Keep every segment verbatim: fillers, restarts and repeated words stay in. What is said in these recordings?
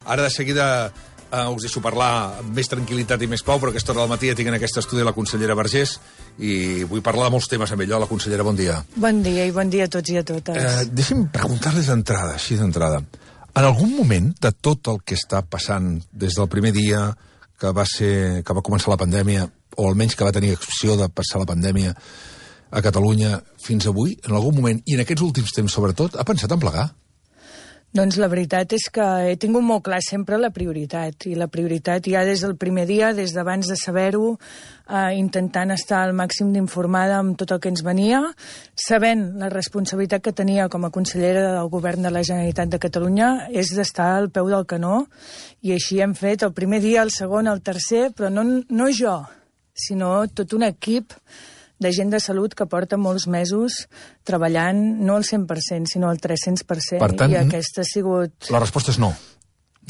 Ara de seguida eh, us deixo parlar amb més tranquil·litat i més pau, però a aquesta hora del matí ja tinc en aquest estudi la consellera Vergés i vull parlar de molts temes amb ella. La consellera, bon dia. Bon dia i bon dia a tots i a totes. Eh, deixi'm preguntar-les d'entrada, així d'entrada. En algun moment de tot el que està passant des del primer dia que va, ser, que va començar la pandèmia, o almenys que va tenir opció de passar la pandèmia a Catalunya fins avui, en algun moment, i en aquests últims temps sobretot, ha pensat en plegar? Doncs la veritat és que he tingut molt clar sempre la prioritat, i la prioritat ja des del primer dia, des d'abans de saber-ho, eh, intentant estar al màxim d'informada amb tot el que ens venia, sabent la responsabilitat que tenia com a consellera del Govern de la Generalitat de Catalunya és d'estar al peu del canó, i així hem fet el primer dia, el segon, el tercer, però no, no jo, sinó tot un equip de gent de salut que porta molts mesos treballant, no al cent per cent, sinó al tres-cents per cent. Per tant, i aquesta ha sigut... La resposta és no.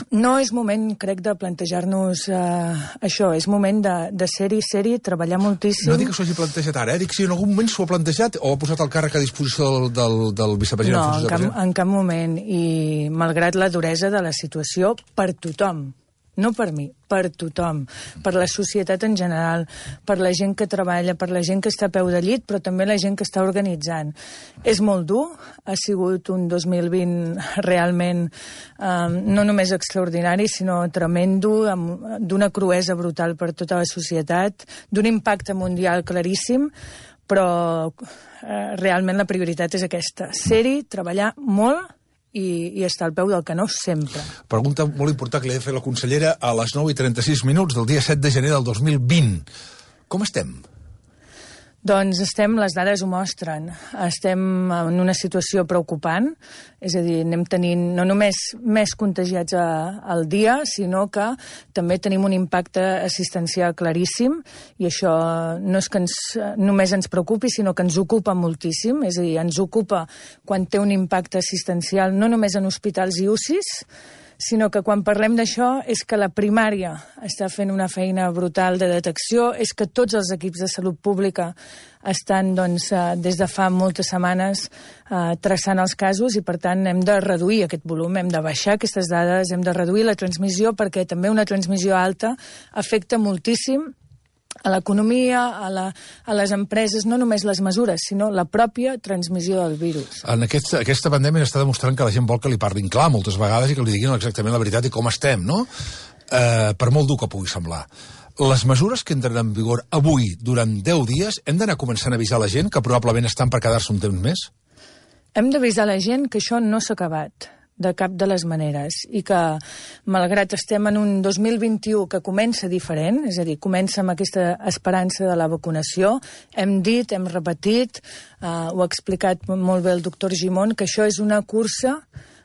No és moment, crec, de plantejar-nos eh, això. És moment de, de ser-hi, ser-hi, treballar moltíssim. No dic que s'ho hagi plantejat ara, eh? Dic si en algun moment s'ho ha plantejat o ha posat el càrrec a disposició del, del, del vicepresident. No, en cap, en cap moment. I malgrat la duresa de la situació, per tothom. No per mi, per tothom, per la societat en general, per la gent que treballa, per la gent que està a peu de llit, però també la gent que està organitzant. És molt dur, ha sigut un dos mil vint realment eh, no només extraordinari, sinó tremendo, d'una cruesa brutal per tota la societat, d'un impacte mundial claríssim, però eh, realment la prioritat és aquesta, ser-hi, treballar molt, I, i estar al peu del canó sempre. Pregunta molt important que li he de fer la consellera a les nou i trenta-sis minuts del dia set de gener del dos mil vint. Com estem? Doncs estem, les dades ho mostren, estem en una situació preocupant, és a dir, anem tenint no només més contagiats a, al dia, sinó que també tenim un impacte assistencial claríssim, i això no és que ens, només ens preocupi, sinó que ens ocupa moltíssim, és a dir, ens ocupa quan té un impacte assistencial no només en hospitals i U C Is, sinó que quan parlem d'això és que la primària està fent una feina brutal de detecció, és que tots els equips de salut pública estan doncs, des de fa moltes setmanes eh, traçant els casos, i per tant hem de reduir aquest volum, hem de baixar aquestes dades, hem de reduir la transmissió, perquè també una transmissió alta afecta moltíssim a l'economia, a, la, a les empreses, no només les mesures, sinó la pròpia transmissió del virus. En aquest, aquesta pandèmia està demostrant que la gent vol que li parlin clar moltes vegades i que li diguin exactament la veritat i com estem, no? Eh, per molt dur que pugui semblar. Les mesures que entren en vigor avui, durant deu dies, hem d'anar començant a avisar la gent que probablement estan per quedar-se un temps més? Hem d'avisar la gent que això no s'ha acabat de cap de les maneres, i que, malgrat estem en un dos mil vint-i-u que comença diferent, és a dir, comença amb aquesta esperança de la vacunació, hem dit, hem repetit, eh, ho ha explicat molt bé el doctor Gimón, que això és una cursa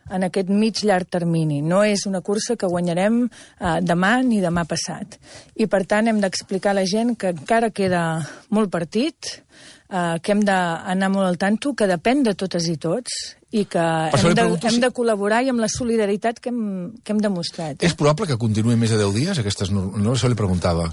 en aquest mig llarg termini. No és una cursa que guanyarem eh, demà ni demà passat. I, per tant, hem d'explicar a la gent que encara queda molt partit, eh, que hem d'anar molt al tanto, que depèn de totes i tots, i que hem de, hem de col·laborar i amb la solidaritat que hem, que hem demostrat. Eh? És probable que continuï més de deu dies aquestes normes? No, això li preguntava.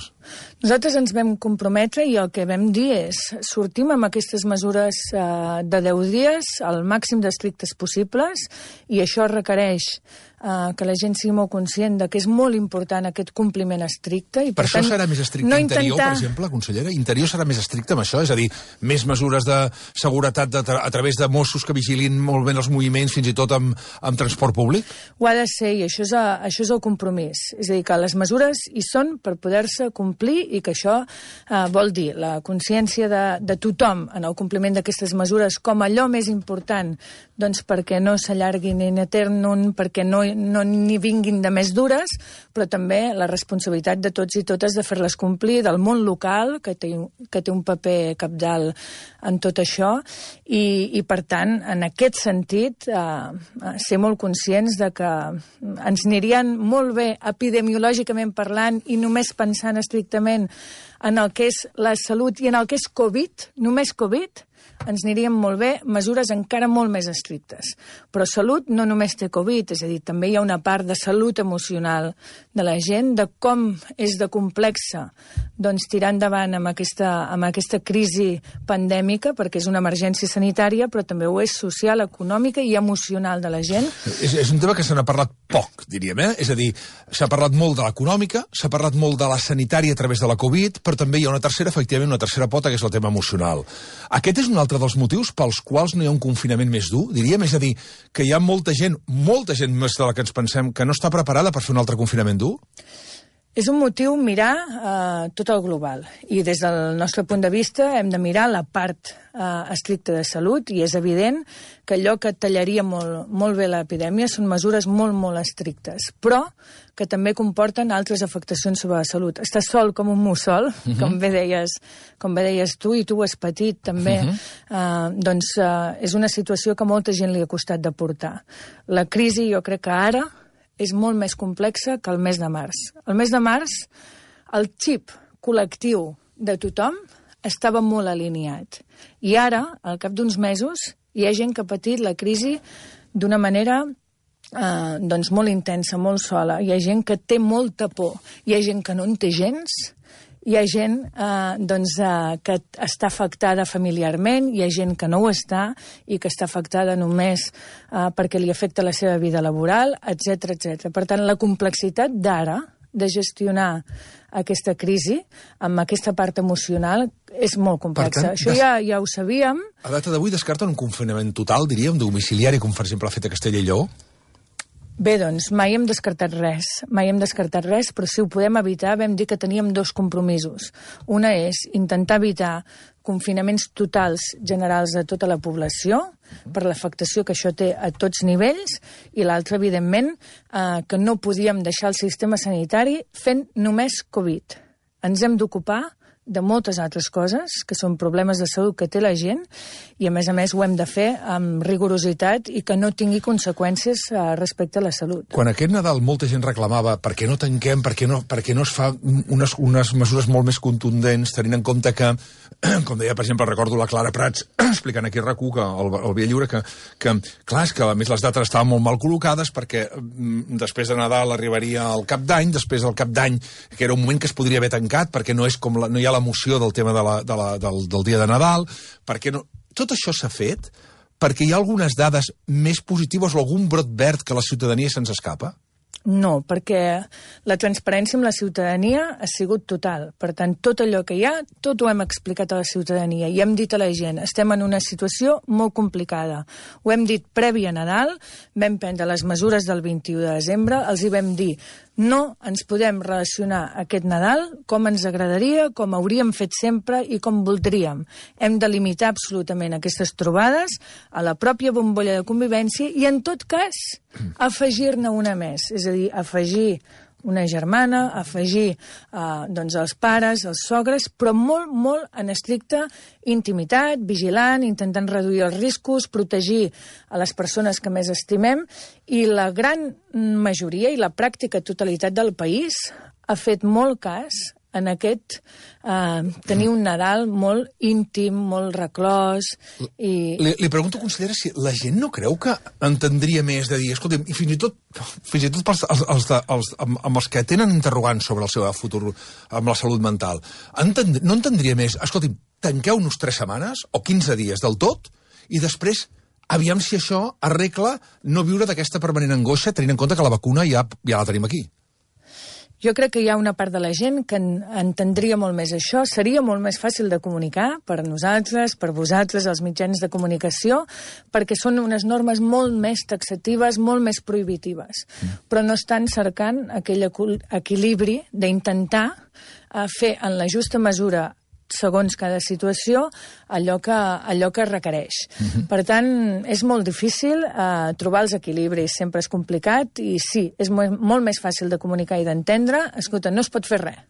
Nosaltres ens vam comprometre i el que vam dir és sortim amb aquestes mesures eh, de deu dies al màxim d'estrictes possibles, i això requereix eh, que la gent sigui molt conscient de que és molt important aquest compliment estricte. I per, per tant, això serà més estricte no interior, intentar... per exemple, consellera? Interior serà més estricte amb això? És a dir, més mesures de seguretat de tra a través de Mossos que vigilin molt ben els moviments, fins i tot amb, amb transport públic? Ho ha de ser, i això és, a, això és el compromís. És a dir, que les mesures hi són per poder-se complir, i que això eh, vol dir la consciència de, de tothom en el compliment d'aquestes mesures com allò més important, doncs perquè no s'allarguin in eternum, perquè no, no n'hi vinguin de més dures, però també la responsabilitat de tots i totes de fer-les complir, del món local, que té, que té un paper cabdal en tot això, i, i per tant, en aquest sentit, eh, ser molt conscients de que ens anirien molt bé epidemiològicament parlant i només pensant estrictament en el que és la salut i en el que és Covid, només Covid, ens anirien molt bé mesures encara molt més estrictes. Però salut no només té Covid, és a dir, també hi ha una part de salut emocional de la gent, de com és de complexa doncs, tirar endavant amb aquesta, amb aquesta crisi pandèmica, perquè és una emergència sanitària, però també ho és social, econòmica i emocional de la gent. És, és un tema que se n'ha parlat poc, diríem, eh? És a dir, s'ha parlat molt de l'econòmica, s'ha parlat molt de la sanitària a través de la Covid, però també hi ha una tercera, efectivament, una tercera pota, que és el tema emocional. Aquest és un altre dels motius pels quals no hi ha un confinament més dur, diríem? És a dir, que hi ha molta gent, molta gent més de la que ens pensem, que no està preparada per fer un altre confinament dur? És un motiu mirar eh, tot el global. I des del nostre punt de vista hem de mirar la part eh, estricta de salut, i és evident que allò que tallaria molt, molt bé l'epidèmia són mesures molt, molt estrictes, però que també comporten altres afectacions sobre la salut. Estar sol com un mussol, uh-huh. com, bé deies, com bé deies tu, i tu has patit també, uh-huh. eh, doncs eh, és una situació que a molta gent li ha costat de portar. La crisi, jo crec que ara, és molt més complexa que el mes de març. El mes de març, el xip col·lectiu de tothom estava molt alineat. I ara, al cap d'uns mesos, hi ha gent que ha patit la crisi d'una manera eh, doncs molt intensa, molt sola. Hi ha gent que té molta por. Hi ha gent que no en té gens. Hi ha gent eh, doncs, eh, que està afectada familiarment, hi ha gent que no ho està i que està afectada només eh, perquè li afecta la seva vida laboral, etcètera, etcètera. Per tant, la complexitat d'ara de gestionar aquesta crisi amb aquesta part emocional és molt complexa. Tant, Això des... ja, ja ho sabíem. A data d'avui descarten un confinament total, diríem, domiciliari, com per exemple ha fet a Castella i Lleó? Bé, doncs, mai hem descartat res, mai hem descartat res, però si ho podem evitar, vam dir que teníem dos compromisos. Una és intentar evitar confinaments totals generals de tota la població, per l'afectació que això té a tots nivells, i l'altra, evidentment, eh, que no podíem deixar el sistema sanitari fent només Covid. Ens hem d'ocupar de moltes altres coses, que són problemes de salut que té la gent, i a més a més ho hem de fer amb rigorositat i que no tingui conseqüències eh, respecte a la salut. Quan aquest Nadal molta gent reclamava per què no tanquem, per què no, per què no es fa unes, unes mesures molt més contundents, tenint en compte que, com deia, per exemple, recordo la Clara Prats explicant aquí a RAC u, que el, el Via Lliure, que, que, clar, és que a més les dates estaven molt mal col·locades perquè mm, després de Nadal arribaria el Cap d'Any, després del Cap d'Any, que era un moment que es podria haver tancat perquè no, és com la, no hi ha l'emoció del tema de la, de la, del, del dia de Nadal, perquè no... Tot això s'ha fet perquè hi ha algunes dades més positives o algun brot verd que la ciutadania se'ns escapa? No, perquè la transparència amb la ciutadania ha sigut total. Per tant, tot allò que hi ha, tot ho hem explicat a la ciutadania i hem dit a la gent, estem en una situació molt complicada. Ho hem dit previ a Nadal, vam prendre les mesures del vint-i-u de desembre, els hi vam dir, no ens podem relacionar aquest Nadal com ens agradaria, com hauríem fet sempre i com voldríem. Hem de limitar absolutament aquestes trobades a la pròpia bombolla de convivència i, en tot cas, afegir-ne una més. És a dir, afegir una germana, afegir eh, doncs els pares, els sogres, però molt, molt en estricta intimitat, vigilant, intentant reduir els riscos, protegir a les persones que més estimem, i la gran majoria i la pràctica totalitat del país ha fet molt cas en aquest eh, tenir un Nadal molt íntim, molt reclòs. I... Li, li pregunto, consellera, si la gent no creu que entendria més de dir, escolta'm, i fins i tot, fins i tot pels, els, els de, els, amb, amb els que tenen interrogants sobre el seu futur amb la salut mental, entend, no entendria més, escolta'm, tanqueu-nos tres setmanes o quinze dies del tot i després aviam si això arregla no viure d'aquesta permanent angoixa tenint en compte que la vacuna ja, ja la tenim aquí. Jo crec que hi ha una part de la gent que en, entendria molt més això. Seria molt més fàcil de comunicar per nosaltres, per vosaltres, els mitjans de comunicació, perquè són unes normes molt més taxatives, molt més prohibitives. Mm. Però no estan cercant aquell equilibri d'intentar eh, fer en la justa mesura, segons cada situació, allò que, allò que requereix. Uh-huh. Per tant, és molt difícil eh, trobar els equilibris, sempre és complicat, i sí, és molt, molt més fàcil de comunicar i d'entendre. Escolta, no es pot fer res.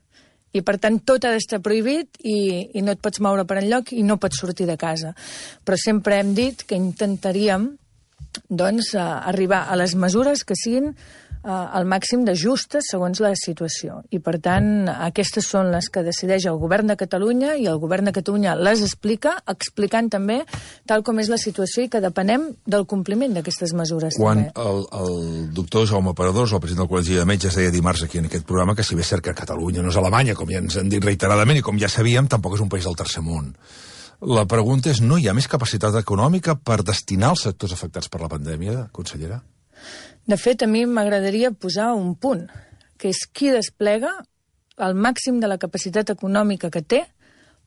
I, per tant, tot ha d'estar prohibit i, i no et pots moure per enlloc i no pots sortir de casa. Però sempre hem dit que intentaríem doncs, eh, arribar a les mesures que siguin al màxim de justes segons la situació. I, per tant, aquestes són les que decideix el govern de Catalunya i el govern de Catalunya les explica, explicant també tal com és la situació i que depenem del compliment d'aquestes mesures. Quan també. el, el doctor Jaume Paradós, el president del Col·legi de Metges, deia dimarts aquí en aquest programa que si bé és cert que Catalunya no és Alemanya, com ja ens han dit reiteradament i com ja sabíem, tampoc és un país del tercer món. La pregunta és, no hi ha més capacitat econòmica per destinar als sectors afectats per la pandèmia, consellera? De fet, a mi m'agradaria posar un punt, que és qui desplega el màxim de la capacitat econòmica que té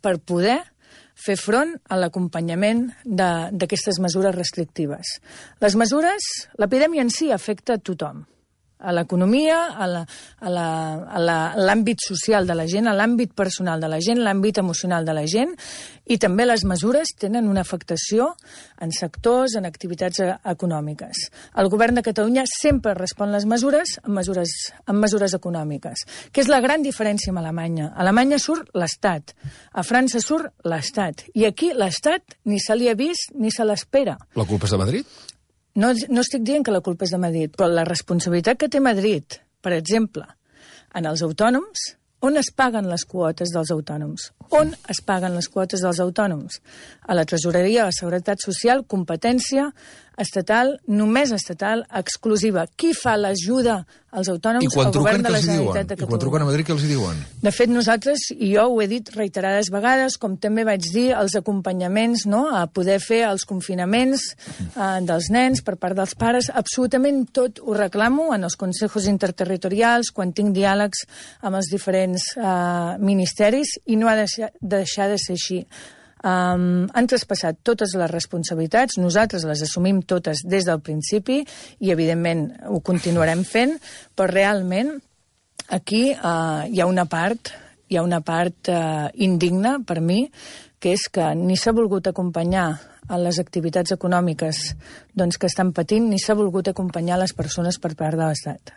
per poder fer front a l'acompanyament d'aquestes mesures restrictives. Les mesures, l'epidèmia en si afecta a tothom, a l'economia, a l'àmbit social de la gent, a l'àmbit personal de la gent, l'àmbit emocional de la gent, i també les mesures tenen una afectació en sectors, en activitats econòmiques. El govern de Catalunya sempre respon les mesures amb mesures, amb mesures econòmiques, que és la gran diferència amb Alemanya. A Alemanya surt l'Estat, a França surt l'Estat, i aquí l'Estat ni se li ha vist ni se l'espera. La culpa és de Madrid? No, no estic dient que la culpa és de Madrid, però la responsabilitat que té Madrid, per exemple, en els autònoms, on es paguen les quotes dels autònoms? On es paguen les quotes dels autònoms? A la Tresoreria de la Seguretat Social, competència estatal, només estatal, exclusiva. Qui fa l'ajuda als autònoms? El govern de la Generalitat de Catalunya. I quan truquen a Madrid, què els hi diuen? De fet, nosaltres, i jo ho he dit reiterades vegades, com també vaig dir, els acompanyaments, no?, a poder fer els confinaments eh, dels nens per part dels pares, absolutament tot ho reclamo en els consejos interterritorials, quan tinc diàlegs amb els diferents eh, ministeris, i no ha de deixar de ser així. Um, han traspassat totes les responsabilitats, nosaltres les assumim totes des del principi i evidentment ho continuarem fent, però realment aquí uh, hi ha una part hi ha una part uh, indigna per mi, que és que ni s'ha volgut acompanyar a les activitats econòmiques doncs, que estan patint, ni s'ha volgut acompanyar les persones per part de l'Estat.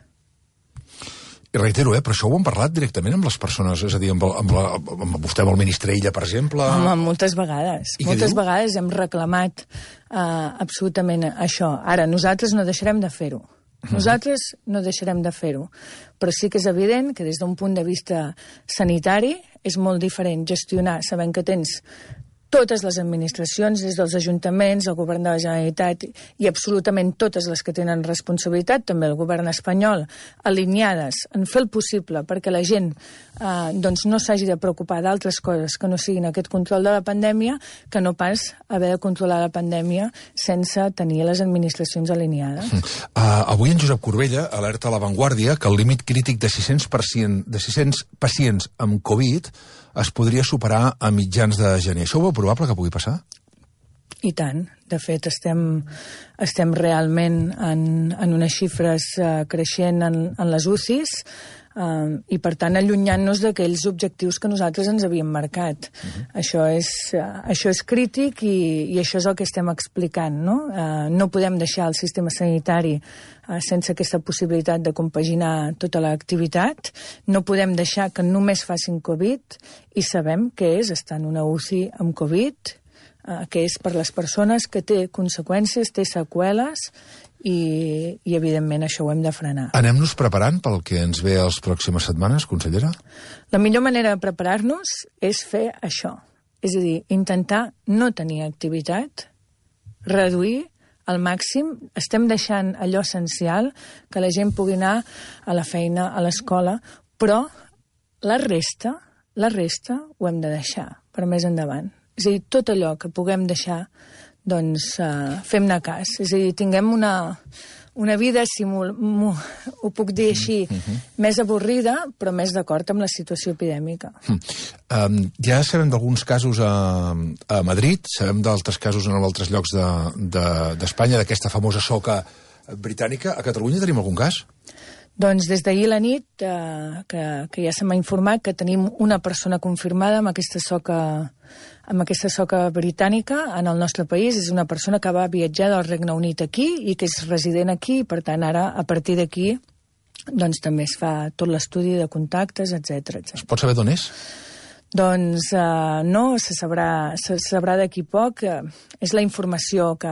I reitero, eh, però això ho hem parlat directament amb les persones, és a dir, amb, el, amb, la, amb vostè, amb el ministre Illa, per exemple? Home, moltes vegades. I moltes vegades hem reclamat uh, absolutament això. Ara, nosaltres no deixarem de fer-ho. Nosaltres no deixarem de fer-ho. Però sí que és evident que des d'un punt de vista sanitari és molt diferent gestionar, sabent que tens totes les administracions, des dels ajuntaments, el govern de la Generalitat i absolutament totes les que tenen responsabilitat, també el govern espanyol, alineades en fer el possible perquè la gent eh, doncs no s'hagi de preocupar d'altres coses que no siguin aquest control de la pandèmia, que no pas haver de controlar la pandèmia sense tenir les administracions alineades. Uh, avui en Josep Corbella alerta a La Vanguardia que el límit crític de sis-cents pacients amb Covid es podria superar a mitjans de gener. Això ho veu probable que pugui passar? I tant. De fet, estem, estem realment en, en unes xifres uh, creixent en, en les U C Is uh, i, per tant, allunyant-nos d'aquells objectius que nosaltres ens havíem marcat. Uh-huh. Això és, uh, això és crític i, i això és el que estem explicant, no? Uh, no podem deixar el sistema sanitari uh, sense aquesta possibilitat de compaginar tota l'activitat. No podem deixar que només facin Covid i sabem que és estar en una U C I amb Covid, Uh, que és per les persones que té conseqüències, té seqüeles i, i evidentment això ho hem de frenar. Anem-nos preparant pel que ens ve a les pròximes setmanes, consellera? La millor manera de preparar-nos és fer això, és a dir, intentar no tenir activitat, reduir al màxim, estem deixant allò essencial, que la gent pugui anar a la feina, a l'escola, però la resta, la resta ho hem de deixar per més endavant. És a dir, tot allò que puguem deixar, doncs uh, fem-ne cas. És a dir, tinguem una, una vida, si m'ho, ho puc dir així, mm-hmm. més avorrida, però més d'acord amb la situació epidèmica. Mm. Um, ja sabem d'alguns casos a, a Madrid, sabem d'altres casos en altres llocs d'Espanya, de, de, d'aquesta famosa soca britànica. A Catalunya tenim algun cas? Doncs des d'ahir a la nit, eh, que, que ja se m'ha informat que tenim una persona confirmada amb aquesta soca, amb aquesta soca britànica en el nostre país. És una persona que va viatjar del Regne Unit aquí i que és resident aquí, i per tant ara, a partir d'aquí, doncs també es fa tot l'estudi de contactes, etcètera, etcètera. Es pot saber d'on és? Doncs eh, no, se sabrà, se sabrà d'aquí poc. Eh, és la informació que,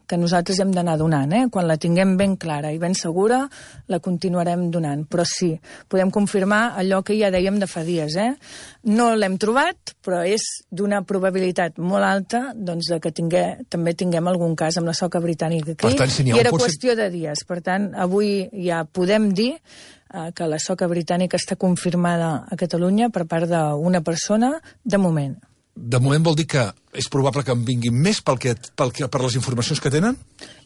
que nosaltres hem d'anar donant. Eh? Quan la tinguem ben clara i ben segura, la continuarem donant. Però sí, podem confirmar allò que ja dèiem de fa dies. Eh? No l'hem trobat, però és d'una probabilitat molt alta doncs, de que tingué, també tinguem algun cas amb la soca britànica aquí. Tant, si I era potser... qüestió de dies. Per tant, avui ja podem dir que la soca britànica està confirmada a Catalunya per part d'una persona de moment. De moment vol dir que és probable que en vinguin més pel que, pel que, per les informacions que tenen?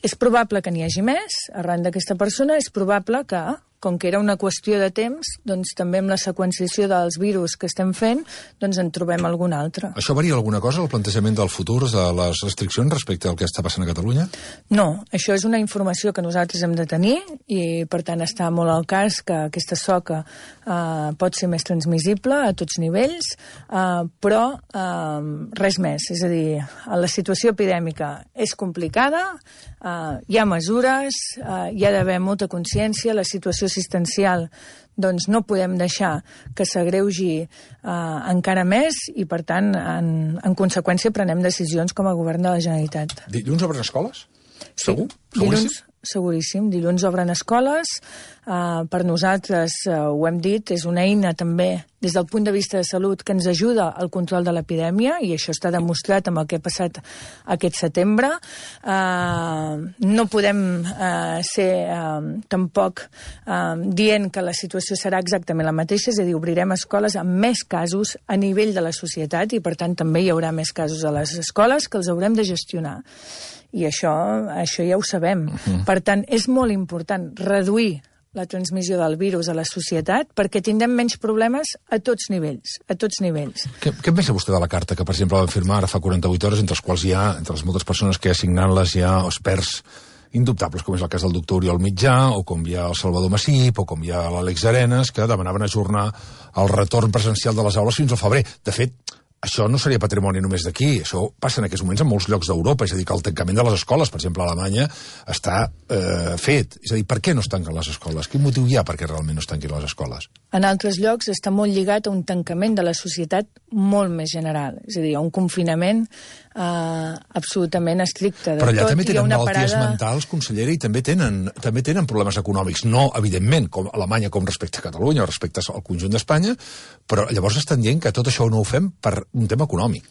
És probable que n'hi hagi més, arran d'aquesta persona, és probable que, com que era una qüestió de temps, doncs també amb la seqüenciació dels virus que estem fent, doncs en trobem algun altre. Això varia alguna cosa, el plantejament del futur, de les restriccions respecte al que està passant a Catalunya? No, això és una informació que nosaltres hem de tenir i, per tant, està molt al cas que aquesta soca eh, pot ser més transmissible a tots nivells, eh, però eh, res més. És a dir, la situació epidèmica és complicada, eh, hi ha mesures, eh, hi ha d'haver molta consciència, la situació assistencial doncs no podem deixar que s'agreugi eh, encara més i, per tant, en, en conseqüència prenem decisions com a govern de la Generalitat. Dilluns obren escoles? Sí, Segur? dilluns, seguríssim. Dilluns obren escoles. Uh, per nosaltres, uh, ho hem dit, és una eina també des del punt de vista de salut que ens ajuda al control de l'epidèmia i això està demostrat amb el que ha passat aquest setembre. Uh, no podem uh, ser uh, tampoc uh, dient que la situació serà exactament la mateixa, és a dir, obrirem escoles amb més casos a nivell de la societat i, per tant, també hi haurà més casos a les escoles que els haurem de gestionar. I això, això ja ho sabem. Uh-huh. Per tant, és molt important reduir la transmissió del virus a la societat perquè tindrem menys problemes a tots nivells, a tots nivells. Què, què pensa vostè de la carta que, per exemple, vam firmar ara fa quaranta-vuit hores, entre les quals hi ha, entre les moltes persones que signant-les hi ha experts indubtables, com és el cas del doctor Oriol Mitjà, o com hi ha el Salvador Massip, o com hi ha l'Àlex Arenas, que demanaven ajornar el retorn presencial de les aules fins al febrer. De fet, això no seria patrimoni només d'aquí, això passa en aquests moments en molts llocs d'Europa, és a dir, que el tancament de les escoles, per exemple, a Alemanya, està eh, fet. És a dir, per què no es tanquen les escoles? Quin motiu hi ha perquè realment no es tanquin les escoles? En altres llocs està molt lligat a un tancament de la societat molt més general, és a dir, a un confinament eh, absolutament estricte. De Però allà tot, també tenen malalties parada... mentals, consellera, i també tenen, també tenen problemes econòmics, no, evidentment, com a Alemanya com respecte a Catalunya o respecte al conjunt d'Espanya, però llavors estan dient que tot això no ho fem per un tema econòmic.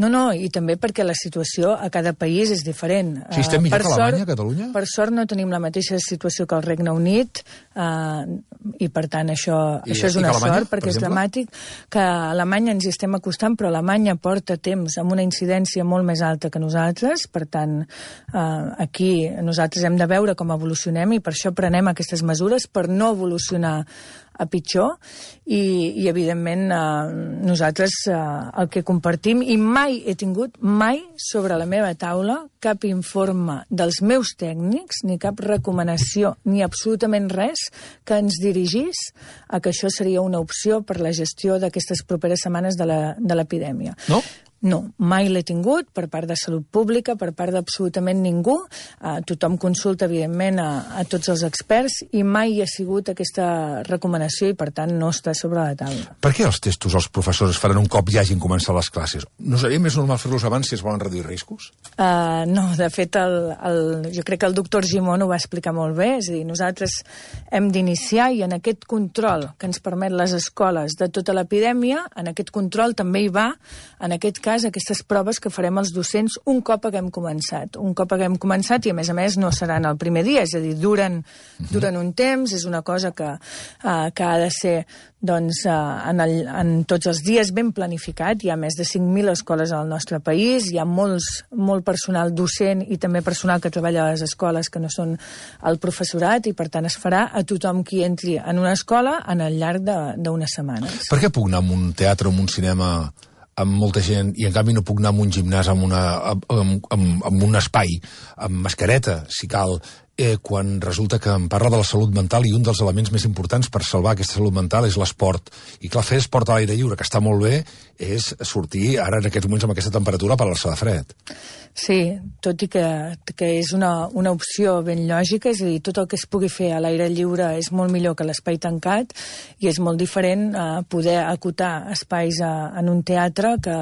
No, no, i també perquè la situació a cada país és diferent. Si estem millor per que Alemanya, sort, Catalunya? Per sort no tenim la mateixa situació que el Regne Unit eh, i per tant això, I, això és una Alemanya, sort perquè per és dramàtic que a Alemanya ens hi estem acostant, però Alemanya porta temps amb una incidència molt més alta que nosaltres, per tant eh, aquí nosaltres hem de veure com evolucionem i per això prenem aquestes mesures per no evolucionar a pitjor i, i evidentment eh, nosaltres eh, el que compartim i mai he tingut mai sobre la meva taula cap informe dels meus tècnics ni cap recomanació ni absolutament res que ens dirigís a que això seria una opció per la gestió d'aquestes properes setmanes de l'epidèmia. No? No, mai l'he tingut per part de Salut Pública, per part d'absolutament ningú. Uh, tothom consulta, evidentment, a, a tots els experts i mai hi ha sigut aquesta recomanació i, per tant, no està sobre la taula. Per què els testos els professors es faran un cop ja hagin començat les classes? No seria més normal fer-los abans si es volen reduir riscos? Uh, no, de fet, el, el, jo crec que el doctor Gimón ho va explicar molt bé. És a dir, nosaltres hem d'iniciar i en aquest control que ens permet les escoles de tota l'epidèmia, en aquest control també hi va, en aquest cas, aquestes proves que farem els docents un cop haguem començat. Un cop haguem començat i, a més a més, no seran el primer dia, és a dir, duren, uh-huh. duren un temps, és una cosa que, uh, que ha de ser doncs, uh, en, el, en tots els dies ben planificat. Hi ha més de cinc mil escoles al nostre país, hi ha molts, molt personal docent i també personal que treballa a les escoles que no són el professorat i, per tant, es farà a tothom qui entri en una escola en el llarg d'unes setmanes. Per què puc anar a un teatre o a un cinema amb molta gent i en canvi no puc anar a un gimnàs amb, una, amb, amb, amb un espai, amb mascareta, si cal, eh, quan resulta que em parla de la salut mental i un dels elements més importants per salvar aquesta salut mental és l'esport. I clar, fer esport a l'aire lliure, que està molt bé, és sortir ara en aquests moments amb aquesta temperatura per l'alçar de fred. Sí, tot i que, que és una, una opció ben lògica, és a dir, tot el que es pugui fer a l'aire lliure és molt millor que l'espai tancat i és molt diferent eh, poder acotar espais a, en un teatre que,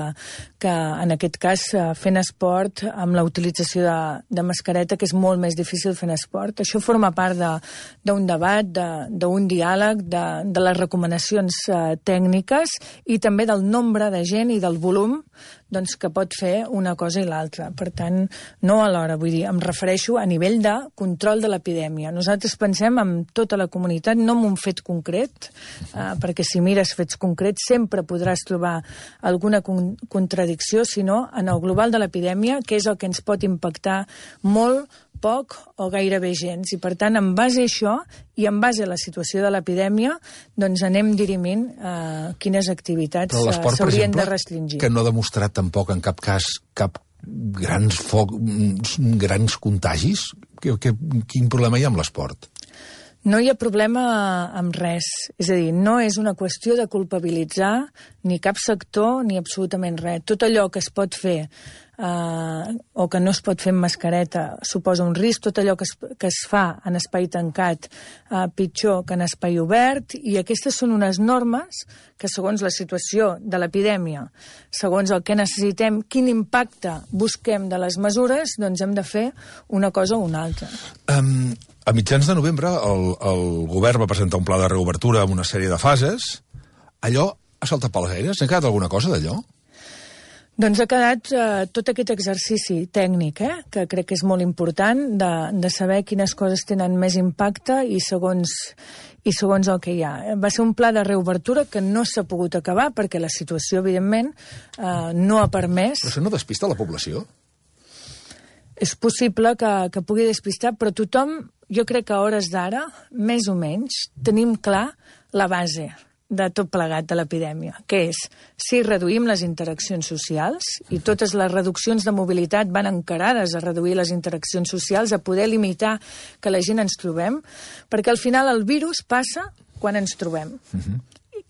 que en aquest cas fent esport amb la utilització de, de mascareta, que és molt més difícil fent esport. Això forma part d'un de, debat, d'un diàleg, de, de les recomanacions eh, tècniques i també del nombre de gent i del volum doncs, que pot fer una cosa i l'altra. Per tant, no alhora, vull dir, em refereixo a nivell de control de l'epidèmia. Nosaltres pensem en tota la comunitat, no en un fet concret, eh, perquè si mires fets concrets sempre podràs trobar alguna con contradicció, sinó en el global de l'epidèmia, que és el que ens pot impactar molt, poc o gairebé gens. I, per tant, en base a això i en base a la situació de l'epidèmia, doncs anem dirimint eh, quines activitats s'haurien de restringir. Que no ha demostrat tampoc en cap cas cap grans, foc, grans contagis? Que, que, quin problema hi ha amb l'esport? No hi ha problema amb res. És a dir, no és una qüestió de culpabilitzar ni cap sector ni absolutament res. Tot allò que es pot fer Uh, o que no es pot fer amb mascareta suposa un risc, tot allò que es, que es fa en espai tancat uh, pitjor que en espai obert, i aquestes són unes normes que segons la situació de l'epidèmia, segons el que necessitem, quin impacte busquem de les mesures, doncs hem de fer una cosa o una altra. Um, a mitjans de novembre el, el govern va presentar un pla de reobertura amb una sèrie de fases. Allò ha saltat pels aires? N'ha quedat alguna cosa d'allò? Doncs ha quedat eh, tot aquest exercici tècnic, eh, que crec que és molt important, de, de saber quines coses tenen més impacte i segons, i segons el que hi ha. Va ser un pla de reobertura que no s'ha pogut acabar perquè la situació, evidentment, eh, no ha permès... Però això no despista la població? És possible que, que pugui despistar, però tothom, jo crec que a hores d'ara, més o menys, tenim clar la base de tot plegat de l'epidèmia, que és si reduïm les interaccions socials, i totes les reduccions de mobilitat van encarades a reduir les interaccions socials, a poder limitar que la gent ens trobem, perquè al final el virus passa quan ens trobem. Uh-huh.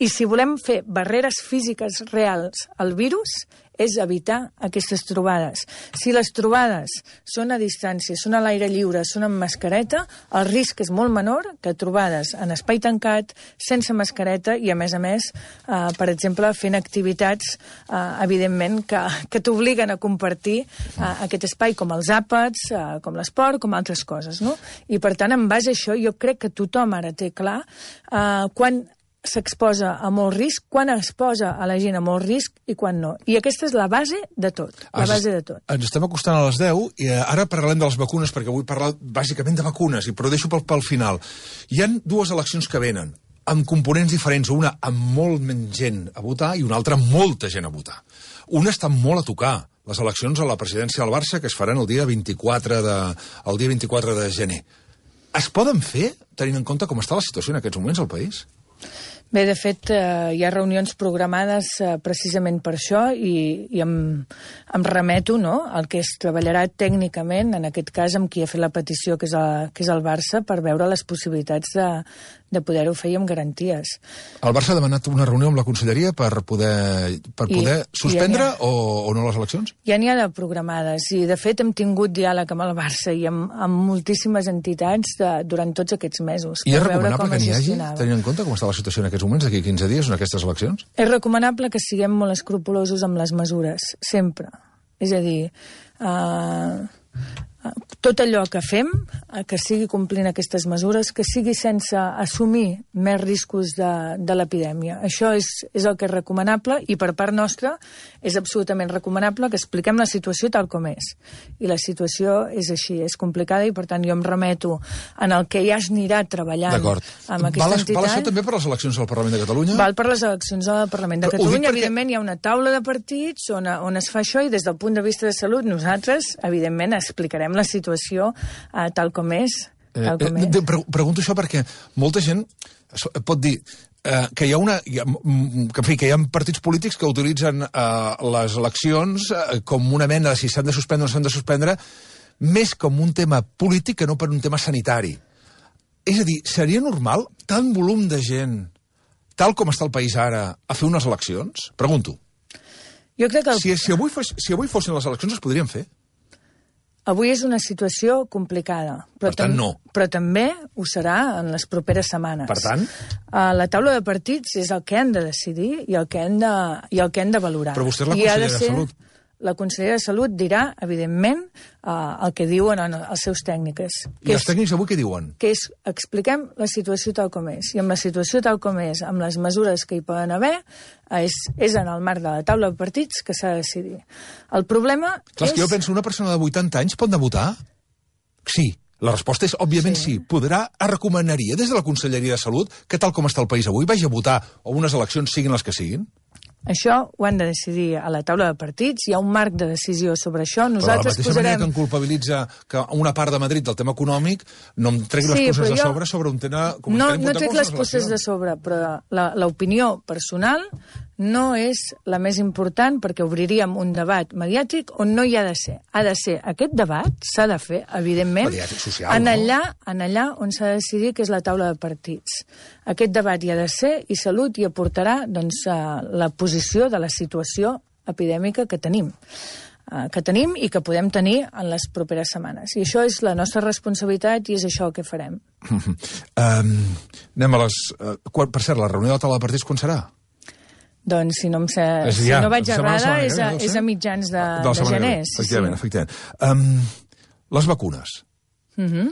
I si volem fer barreres físiques reals al virus, és evitar aquestes trobades. Si les trobades són a distància, són a l'aire lliure, són amb mascareta, el risc és molt menor que trobades en espai tancat, sense mascareta i, a més a més, eh, per exemple, fent activitats, eh, evidentment, que, que t'obliguen a compartir eh, aquest espai, com els àpats, eh, com l'esport, com altres coses, no? I, per tant, en base a això, jo crec que tothom ara té clar eh, quan s'exposa a molt risc, quan es posa a la gent a molt risc i quan no. I aquesta és la base de tot. La base de tot. Ens estem acostant a les deu i ara parlem de les vacunes, perquè vull parlar bàsicament de vacunes, però ho deixo pel, pel final. Hi han dues eleccions que venen, amb components diferents, una amb molt menys gent a votar i una altra amb molta gent a votar. Una està molt a tocar, les eleccions a la presidència del Barça, que es faran el dia vint-i-quatre de, el dia vint-i-quatre de gener. Es poden fer, tenint en compte com està la situació en aquests moments al país? Bé, de fet, eh, hi ha reunions programades eh, precisament per això i, i em, em remeto, no?, al que es treballarà tècnicament, en aquest cas amb qui ha fet la petició, que és, a, que és el Barça, per veure les possibilitats de, de poder-ho fer amb garanties. El Barça ha demanat una reunió amb la Conselleria per poder, per poder I, suspendre i ha, o, o no les eleccions? Ja n'hi ha de programades i, de fet, hem tingut diàleg amb el Barça i amb, amb moltíssimes entitats de, durant tots aquests mesos. I és recomanable que n'hi hagi, tenint en compte com està la situació en aquests moments, d'aquí quinze dies, en aquestes eleccions? És recomanable que siguem molt escrupulosos amb les mesures, sempre. És a dir, eh, tot allò que fem, que sigui complint aquestes mesures, que sigui sense assumir més riscos de, de l'epidèmia. Això és, és el que és recomanable i per part nostra és absolutament recomanable que expliquem la situació tal com és. I la situació és així, és complicada i per tant jo em remeto en el que ja es anirà treballant amb aquesta val, entitat. Val això també per les eleccions al Parlament de Catalunya? Val per les eleccions al Parlament de Però Catalunya. Perquè... Evidentment hi ha una taula de partits on, on es fa això i des del punt de vista de salut nosaltres, evidentment, explicarem la situació Uh, tal com és. Tal com eh, és. Pregunto això perquè molta gent pot dir eh, que hi ha una que, en fi, que hi ha partits polítics que utilitzen eh, les eleccions eh, com una mena de si s'han de suspendre o no s'han de suspendre més com un tema polític que no per un tema sanitari. És a dir, seria normal tant volum de gent, tal com està el país ara, a fer unes eleccions? Pregunto. Jo crec que... El... Si, si, avui fos, si avui fossin les eleccions, es podrien fer? Avui és una situació complicada. Però per tant, no. Però també ho serà en les properes setmanes. Per tant? Uh, la taula de partits és el que han de decidir i el que han de, i el que han de valorar. Però vostè és la consellera de, de Salut. La consellera de Salut dirà, evidentment, uh, el que diuen els seus tècnics. I els tècnics avui què diuen? Que és, expliquem la situació tal com és. I amb la situació tal com és, amb les mesures que hi poden haver, és, és en el marc de la taula de partits que s'ha de decidir. El problema Clar, és... és... que jo penso, una persona de vuitanta anys pot anar a votar? Sí. La resposta és, òbviament, sí. sí. Podrà, recomanaria des de la Conselleria de Salut que, tal com està el país avui, vagi a votar o unes eleccions siguin les que siguin? Això ho han de decidir a la taula de partits, hi ha un marc de decisió sobre això. Nosaltres però de la mateixa posarem... manera que em culpabilitza que una part de Madrid del tema econòmic no em tregui sí, les puces jo... de sobre sobre un tema... Com no no trec les puces de sobre, però l'opinió personal no és la més important perquè obriríem un debat mediàtic on no hi ha de ser. Ha de ser aquest debat, s'ha de fer, evidentment, social, en, allà, no? en allà on s'ha de decidir, que és la taula de partits. Aquest debat hi ha de ser i Salut hi aportarà doncs, la posició de la situació epidèmica que tenim. que tenim i que podem tenir en les properes setmanes. I això és la nostra responsabilitat i és això el que farem. um, anem a les... Uh, quan, per cert, la reunió de la taula de partits quan serà? Doncs si no, em sé, és, si ja, no vaig errada, setmana, és, a, no és a mitjans de, de, de gener. Sí, efectivament, sí. efectivament. Um, les vacunes. Uh -huh.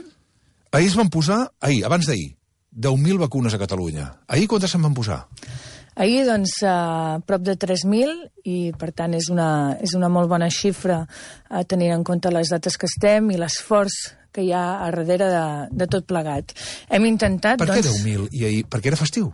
Ahir es van posar, ahir, abans d'ahir, deu mil vacunes a Catalunya. Ahir quantes se'n van posar? Ahir, doncs, a prop de tres mil, i per tant és una, és una molt bona xifra a tenir en compte les dates que estem i l'esforç que hi ha a darrere de, de tot plegat. Hem intentat... Per doncs... què deu mil i ahir? Perquè era festiu?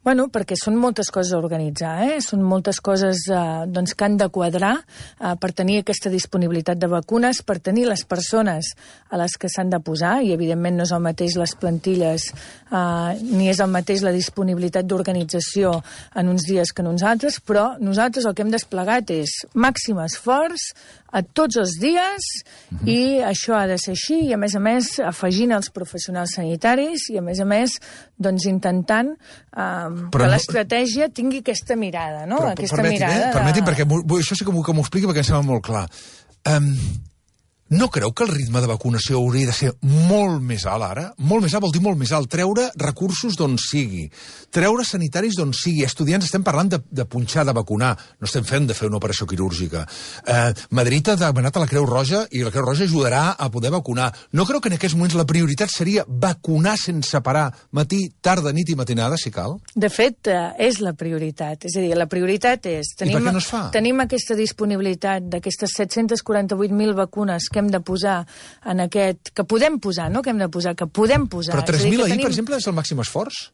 Bueno, perquè són moltes coses a organitzar, eh? Són moltes coses eh, doncs, que han de quadrar eh, per tenir aquesta disponibilitat de vacunes, per tenir les persones a les que s'han de posar, i evidentment no és el mateix les plantilles, eh, ni és el mateix la disponibilitat d'organització en uns dies que en uns altres, però nosaltres el que hem desplegat és màxim esforç a tots els dies, uh-huh. i això ha de ser així, i a més a més afegint els professionals sanitaris, i a més a més doncs intentant eh, però que l'estratègia tingui aquesta mirada, no? Però, aquesta permetin, mirada eh? de... Permetin, perquè això sí que m'ho expliqui perquè em sembla molt clar. Um, no creu que el ritme de vacunació hauria de ser molt més alt ara? Molt més alt vol dir molt més alt. Treure recursos d'on sigui. Treure sanitaris d'on sigui. Estudiants, estem parlant de, de punxar, de vacunar. No estem fent de fer una operació quirúrgica. Eh, Madrid ha demanat a la Creu Roja i la Creu Roja ajudarà a poder vacunar. No creu que en aquests moments la prioritat seria vacunar sense parar matí, tarda, nit i matinada, si cal? De fet, eh, és la prioritat. És a dir, la prioritat és... Tenim, I per què no es fa? Tenim aquesta disponibilitat d'aquestes set-cents quaranta-vuit mil vacunes que hem de posar en aquest... que podem posar, no que hem de posar, que podem posar. Però tres mil ahir, tenim... per exemple, és el màxim esforç?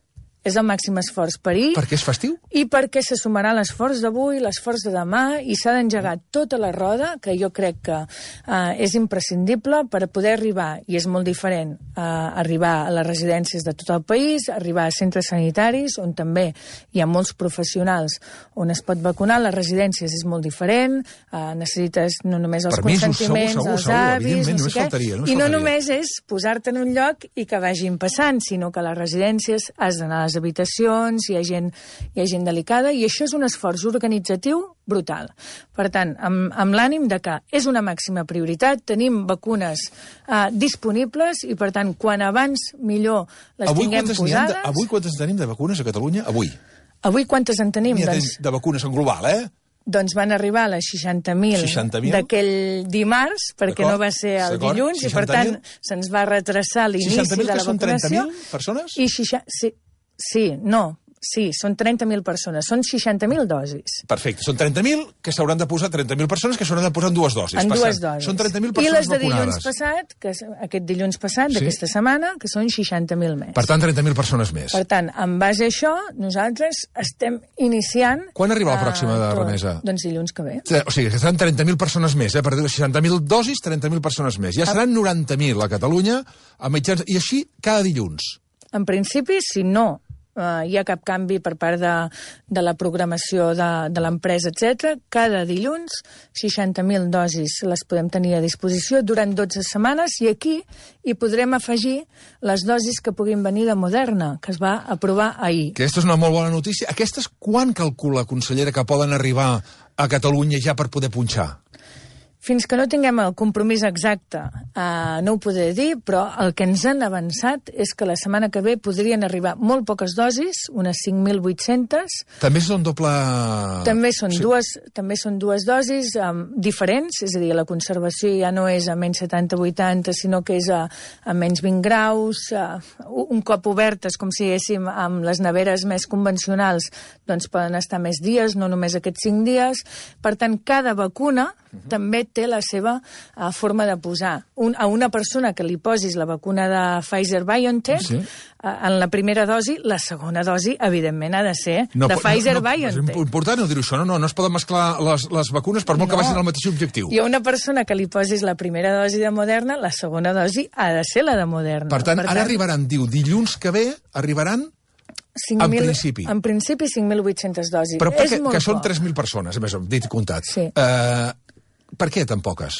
És el màxim esforç per ahir. Perquè és festiu? I perquè se sumarà l'esforç d'avui, l'esforç de demà, i s'ha d'engegar tota la roda, que jo crec que eh, és imprescindible per poder arribar, i és molt diferent, eh, arribar a les residències de tot el país, arribar a centres sanitaris, on també hi ha molts professionals on es pot vacunar. Les residències és molt diferent, eh, necessites no només els Permisos, consentiments, segur, segur, els segur, avis, no sé què, faltaria, no i no faltaria. només és posar-te en un lloc i que vagin passant, sinó que a les residències has d'anar a les habitacions, hi ha gent, hi ha gent delicada, i això és un esforç organitzatiu brutal. Per tant, amb, amb l'ànim de que és una màxima prioritat, tenim vacunes eh, disponibles, i per tant, quan abans millor les avui tinguem posades... De, avui quantes tenim de vacunes a Catalunya? Avui. Avui quantes en tenim? Doncs, de vacunes en global, eh? Doncs van arribar a les seixanta mil d'aquell dimarts, perquè no va ser el dilluns, i per tant se'ns va retrasar l'inici de la vacunació. seixanta mil que són trenta mil persones? I seixanta... Sí, sí, no, sí, són trenta mil persones, són seixanta mil dosis. Perfecte, són trenta mil que s'hauran de posar, trenta mil persones que s'hauran de posar en dues dosis. En dues dosis. Són trenta mil persones vacunades. I les de vacunades. dilluns passat, que és aquest dilluns passat, sí? d'aquesta setmana, que són seixanta mil més. Per tant, trenta mil persones més. Per tant, en base a això, nosaltres estem iniciant... Quan arriba la pròxima de remesa? Doncs dilluns que ve. O sigui, que seran trenta mil persones més, eh? Per dir seixanta mil dosis, trenta mil persones més. Ja seran noranta mil a Catalunya, a mitjans... I així cada dilluns. En principi, si no uh, hi ha cap canvi per part de, de la programació de, de l'empresa, etcètera. Cada dilluns, seixanta mil dosis les podem tenir a disposició durant dotze setmanes i aquí hi podrem afegir les dosis que puguin venir de Moderna, que es va aprovar ahir. Aquesta és una molt bona notícia. Aquestes quan calcula, consellera, que poden arribar a Catalunya ja per poder punxar? Fins que no tinguem el compromís exacte, eh, no ho podré dir, però el que ens han avançat és que la setmana que ve podrien arribar molt poques dosis, unes cinc mil vuit-centes. També són doble... També són, sí. dues, també són dues dosis um, diferents, és a dir, la conservació ja no és a menys setanta vuitanta, sinó que és a, a menys vint graus. Uh, un cop obertes, com si diguéssim, amb les neveres més convencionals, doncs poden estar més dies, no només aquests cinc dies. Per tant, cada vacuna uh-huh. també té la seva uh, forma de posar. Un, a una persona que li posis la vacuna de Pfizer-BioNTech, sí. uh, en la primera dosi, la segona dosi, evidentment, ha de ser no, de Pfizer-BioNTech. No, no, és important no dir això, no, no, no es poden mesclar les, les vacunes per molt no. que vagin al mateix objectiu. I a una persona que li posis la primera dosi de Moderna, la segona dosi ha de ser la de Moderna. Per tant, per ara tant, arribaran, diu, dilluns que ve, arribaran... cinc mil, en principi. En principi, cinc mil vuit-centes dosis. Però és que, molt que són poc. tres mil persones, a més, dit i comptat. Sí. Uh, per què tan poques?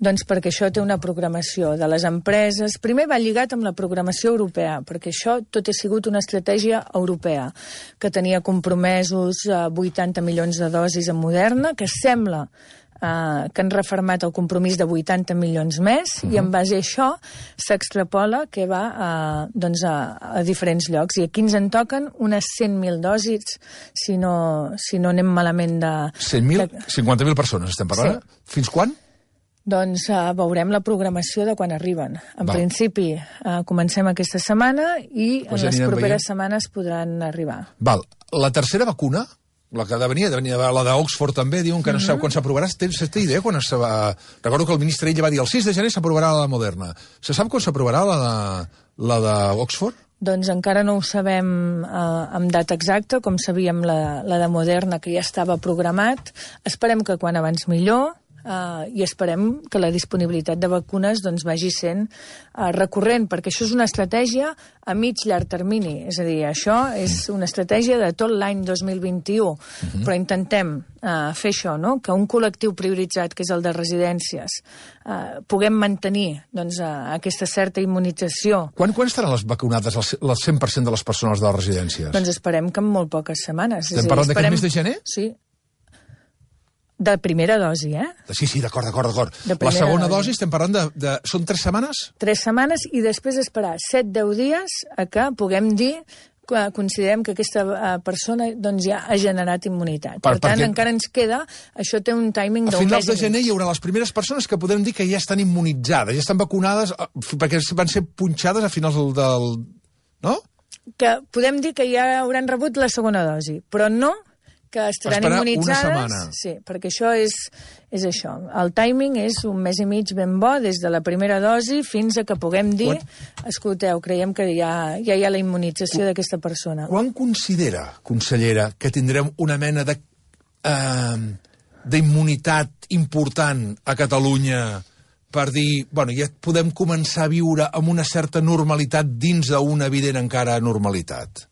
Doncs perquè això té una programació de les empreses. Primer va lligat amb la programació europea, perquè això tot ha sigut una estratègia europea, que tenia compromesos uh, vuitanta milions de dosis en Moderna, que sembla Uh, que han refermat el compromís de vuitanta milions més, uh-huh. i en base a això s'extrapola que va uh, doncs a, a diferents llocs. I aquí ens en toquen unes cent mil dosis, si no, si no anem malament de... cent mil? De... cinquanta mil persones estem parlant? Sí. Fins quan? Doncs uh, veurem la programació de quan arriben. En Val. principi uh, comencem aquesta setmana i pues en les properes veient. setmanes podran arribar. Val. La tercera vacuna... La que ha de venir, de venir la d'Oxford també, diuen que no mm-hmm. sap quan s'aprovarà. Tens aquesta idea quan es va... Recordo que el ministre ell va dir el sis de gener s'aprovarà la de Moderna. Se sap quan s'aprovarà la de la d'Oxford? Doncs encara no ho sabem eh, amb data exacta, com sabíem la, la de Moderna, que ja estava programat. Esperem que quan abans millor, Uh, i esperem que la disponibilitat de vacunes doncs, vagi sent uh, recurrent, perquè això és una estratègia a mig llarg termini. És a dir, això és una estratègia de tot l'any dos mil vint-i-u, uh-huh. però intentem uh, fer això, no? Que un col·lectiu prioritzat, que és el de residències, uh, puguem mantenir doncs, uh, aquesta certa immunització. Quan, quan estaran les vacunades el cent per cent de les persones de les residències? Doncs esperem que en molt poques setmanes. Estem parlant d'aquest mes de gener? Sí. De primera dosi, eh? Sí, sí, d'acord, d'acord, d'acord. La segona dosi, dosi estem parlant de, de... Són tres setmanes? Tres setmanes i després esperar set deu dies a que puguem dir que considerem que aquesta persona doncs, ja ha generat immunitat. Per, per tant, perquè... encara ens queda... Això té un timing d'un mes i mig. A finals de gener hi haurà les primeres persones que podrem dir que ja estan immunitzades, ja estan vacunades, perquè van ser punxades a finals del... del... No? Que podem dir que ja hauran rebut la segona dosi, però no... que estaran Esperar immunitzades. Una setmana. Sí, perquè això és, és això. El timing és un mes i mig ben bo, des de la primera dosi fins a que puguem dir, Quan... escolteu, creiem que ja, ja hi ha la immunització d'aquesta persona. Quan considera, consellera, que tindrem una mena de eh, d'immunitat important a Catalunya per dir, bueno, ja podem començar a viure amb una certa normalitat dins d'una evident encara normalitat?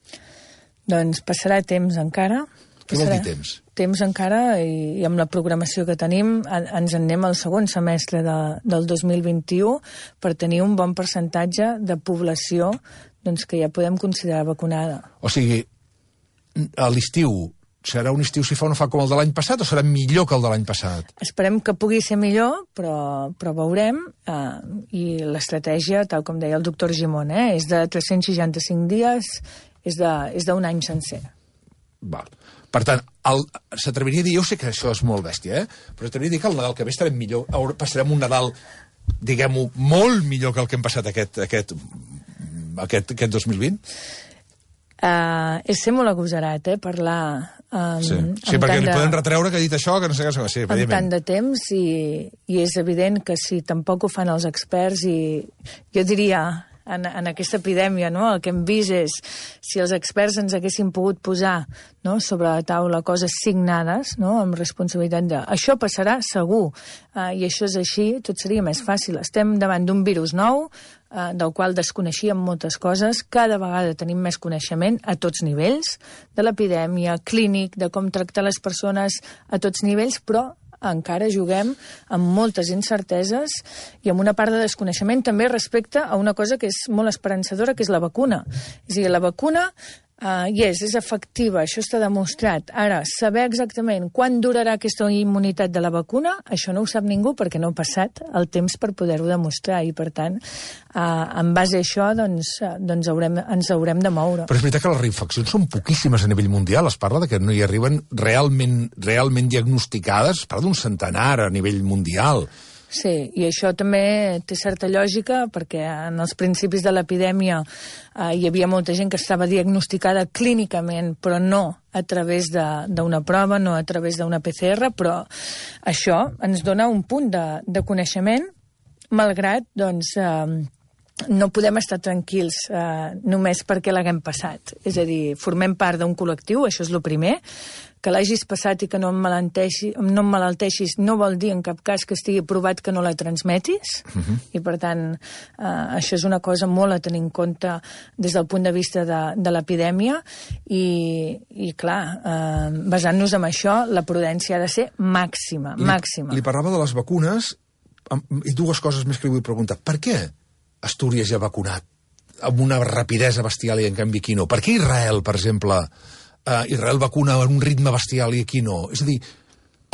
Doncs passarà temps encara. Què vol dir temps? Temps encara, i, i amb la programació que tenim, a, ens en anem al segon semestre de, del dos mil vint-i-u per tenir un bon percentatge de població doncs, que ja podem considerar vacunada. O sigui, a l'estiu, serà un estiu si fa o no fa com el de l'any passat o serà millor que el de l'any passat? Esperem que pugui ser millor, però, però veurem. Eh, I l'estratègia, tal com deia el doctor Gimón, eh, és de tres-cents seixanta-cinc dies, és d'un any sencer. Val. Per tant, s'atreviria a dir, jo sé que això és molt bèstia, eh? però s'atreviria a dir que el Nadal que ve estarem millor, passarem un Nadal, diguem-ho, molt millor que el que hem passat aquest, aquest, aquest, aquest dos mil vint? Uh, és ser molt agosarat, eh, parlar... Um, sí, sí perquè li de... podem retreure que ha dit això, que no sé què... Sí, amb tant de temps, i, i és evident que si tampoc ho fan els experts, i jo diria... En, en aquesta epidèmia, no? El que hem vist és si els experts ens haguessin pogut posar, no? sobre la taula coses signades, no? amb responsabilitat de... Això passarà segur, uh, i això és així, tot seria més fàcil. Estem davant d'un virus nou, eh, del qual desconeixíem moltes coses. Cada vegada tenim més coneixement a tots nivells, de l'epidèmia, clínic, de com tractar les persones a tots nivells, però encara juguem amb moltes incerteses i amb una part de desconeixement també respecte a una cosa que és molt esperançadora, que és la vacuna. És a dir, la vacuna uh, yes, és efectiva, això està demostrat. Ara, saber exactament quan durarà aquesta immunitat de la vacuna, això no ho sap ningú perquè no ha passat el temps per poder-ho demostrar i, per tant, uh, en base a això doncs, uh, doncs haurem, ens haurem de moure. Però és veritat que les reinfeccions són poquíssimes a nivell mundial. Es parla de que no hi arriben realment, realment diagnosticades, es parla d'un centenar a nivell mundial. Sí, i això també té certa lògica, perquè en els principis de l'epidèmia eh, hi havia molta gent que estava diagnosticada clínicament, però no a través d'una prova, no a través d'una P C R, però això ens dona un punt de, de coneixement, malgrat, doncs, eh, no podem estar tranquils eh, només perquè l'haguem passat. És a dir, formem part d'un col·lectiu, això és el primer, que l'hagis passat i que no em malalteixis no vol dir en cap cas que estigui provat que no la transmetis, uh-huh. I per tant eh, això és una cosa molt a tenir en compte des del punt de vista de, de l'epidèmia i, i clar, eh, basant-nos en això, la prudència ha de ser màxima, li, màxima. Li parlava de les vacunes i dues coses més que li vull preguntar. Per què Astúries ja ha vacunat amb una rapidesa bestial i en canvi aquí no? Per què Israel, per exemple... Uh, Israel vacuna en un ritme bestial i aquí no. És a dir,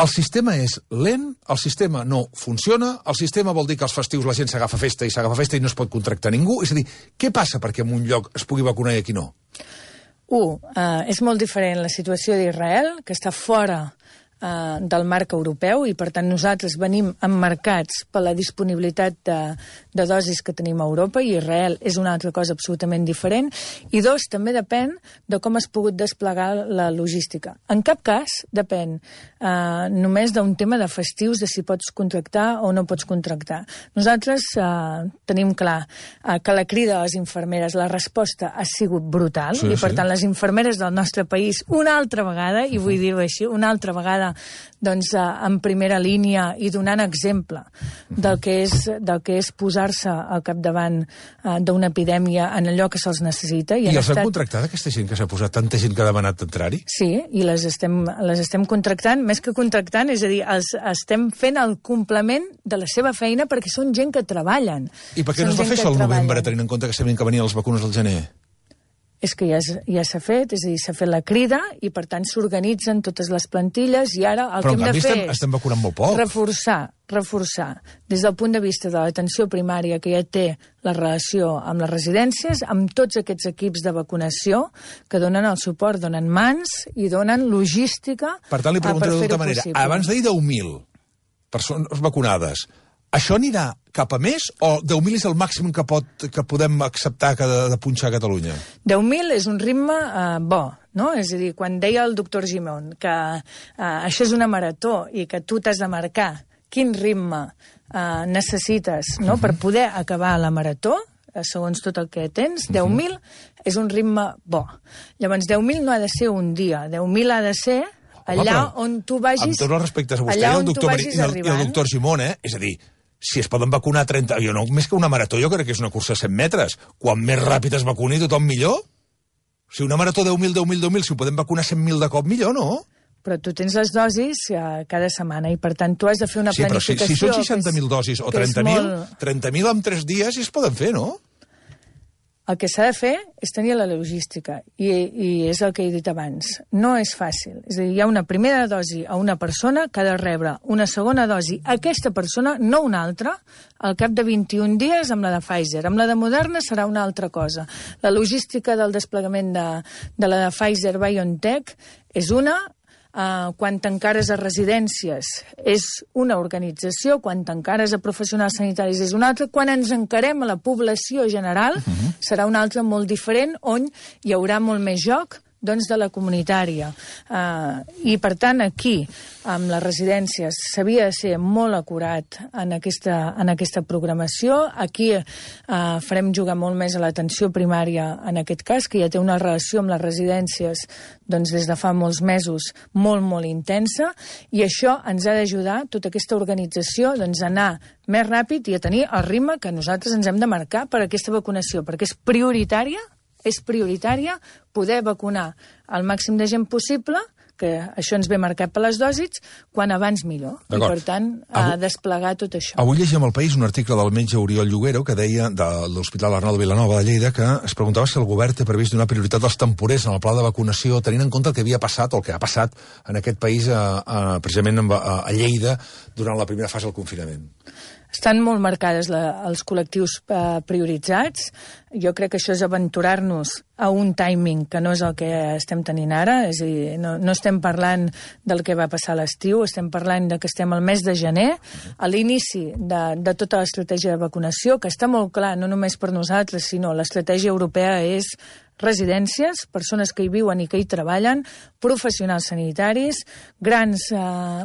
el sistema és lent, el sistema no funciona, el sistema vol dir que als festius la gent s'agafa festa i s'agafa festa i no es pot contractar ningú. És a dir, què passa perquè en un lloc es pugui vacunar i aquí no? Un, uh, és molt diferent la situació d'Israel, que està fora uh, del marc europeu i per tant nosaltres venim emmarcats per la disponibilitat de, de dosis que tenim a Europa i Israel és una altra cosa absolutament diferent. I dos, també depèn de com has pogut desplegar la logística. En cap cas depèn eh, només d'un tema de festius, de si pots contractar o no pots contractar. Nosaltres eh, tenim clar eh, que la crida a les infermeres, la resposta ha sigut brutal, sí, i per sí. tant les infermeres del nostre país una altra vegada, i vull dir-ho així, una altra vegada doncs, eh, en primera línia i donant exemple del que és, del que és posar-se al capdavant eh, d'una epidèmia en allò que se'ls necessita. I, I els estat... han contractat, aquesta gent que s'ha posat, tanta gent que ha demanat entrar-hi? Sí, i les estem, les estem contractant, més que contractant, és a dir, els estem fent el complement de la seva feina perquè són gent que treballen. I per què no es va fer això al novembre, tenint en compte que sabien que venien les vacunes al gener? És que ja, ja s'ha fet, és a dir, s'ha fet la crida i, per tant, s'organitzen totes les plantilles i ara el Però, que hem de fer estem, estem vacunant molt poc. és reforçar, reforçar, des del punt de vista de l'atenció primària que ja té la relació amb les residències, amb tots aquests equips de vacunació que donen el suport, donen mans i donen logística. Per tant, li pregunto de tota manera, possible. Abans de dir deu mil persones vacunades, això anirà cap a més o deu mil és el màxim que, pot, que podem acceptar que de, de punxar a Catalunya? deu mil és un ritme eh, bo, no? És a dir, quan deia el doctor Gimón que eh, això és una marató i que tu t'has de marcar quin ritme eh, necessites, no?, per poder acabar la marató, eh, segons tot el que tens, deu mil és un ritme bo. Llavors, deu mil no ha de ser un dia, deu mil ha de ser allà Home, on tu vagis... Amb tots els respectes a vostè i el doctor, i el, i el doctor Gimón, eh? És a dir, si es poden vacunar trenta... Jo no, més que una marató, jo crec que és una cursa de cent metres. Quan més ràpid es vacuni, tothom millor. Si una marató deu mil, deu mil, deu mil, si ho podem vacunar cent mil de cop, millor, no? Però tu tens les dosis eh, cada setmana i, per tant, tu has de fer una sí, planificació... Sí, però si, si són seixanta mil dosis o trenta mil, molt... trenta mil en tres dies i es poden fer, no? El que s'ha de fer és tenir la logística, i, i és el que he dit abans. No és fàcil. És a dir, hi ha una primera dosi a una persona que ha de rebre una segona dosi a aquesta persona, no una altra, al cap de vint-i-un dies amb la de Pfizer. Amb la de Moderna serà una altra cosa. La logística del desplegament de, de la de Pfizer-BioNTech és una... Uh, quan t'encares a residències és una organització, quan t'encares a professionals sanitaris és una altra, quan ens encarem a la població general uh-huh. serà una altra molt diferent, on hi haurà molt més joc doncs, de la comunitària. Uh, I, per tant, aquí, amb les residències, s'havia de ser molt acurat en aquesta, en aquesta programació. Aquí uh, farem jugar molt més a l'atenció primària, en aquest cas, que ja té una relació amb les residències doncs, des de fa molts mesos molt, molt intensa, i això ens ha d'ajudar, tota aquesta organització, doncs, a anar més ràpid i a tenir el ritme que nosaltres ens hem de marcar per a aquesta vacunació, perquè és prioritària, és prioritària poder vacunar el màxim de gent possible, que això ens ve marcat per les dosis, quan abans millor. I, per tant, a desplegar tot això. Avui llegim al País un article del metge Oriol Lloguero que deia, de l'Hospital Arnau de Vilanova de Lleida, que es preguntava si el govern té previst donar prioritat als temporers en el pla de vacunació, tenint en compte el que havia passat, o el que ha passat en aquest país, a, a, precisament a, a Lleida, durant la primera fase del confinament. Estan molt marcades la, els col·lectius eh, prioritzats. Jo crec que això és aventurar-nos a un timing que no és el que estem tenint ara. És a dir, no, no estem parlant del que va passar a l'estiu, estem parlant de que estem al mes de gener, a l'inici de, de tota l'estratègia de vacunació, que està molt clar, no només per nosaltres, sinó l'estratègia europea és residències, persones que hi viuen i que hi treballen, professionals sanitaris, grans eh,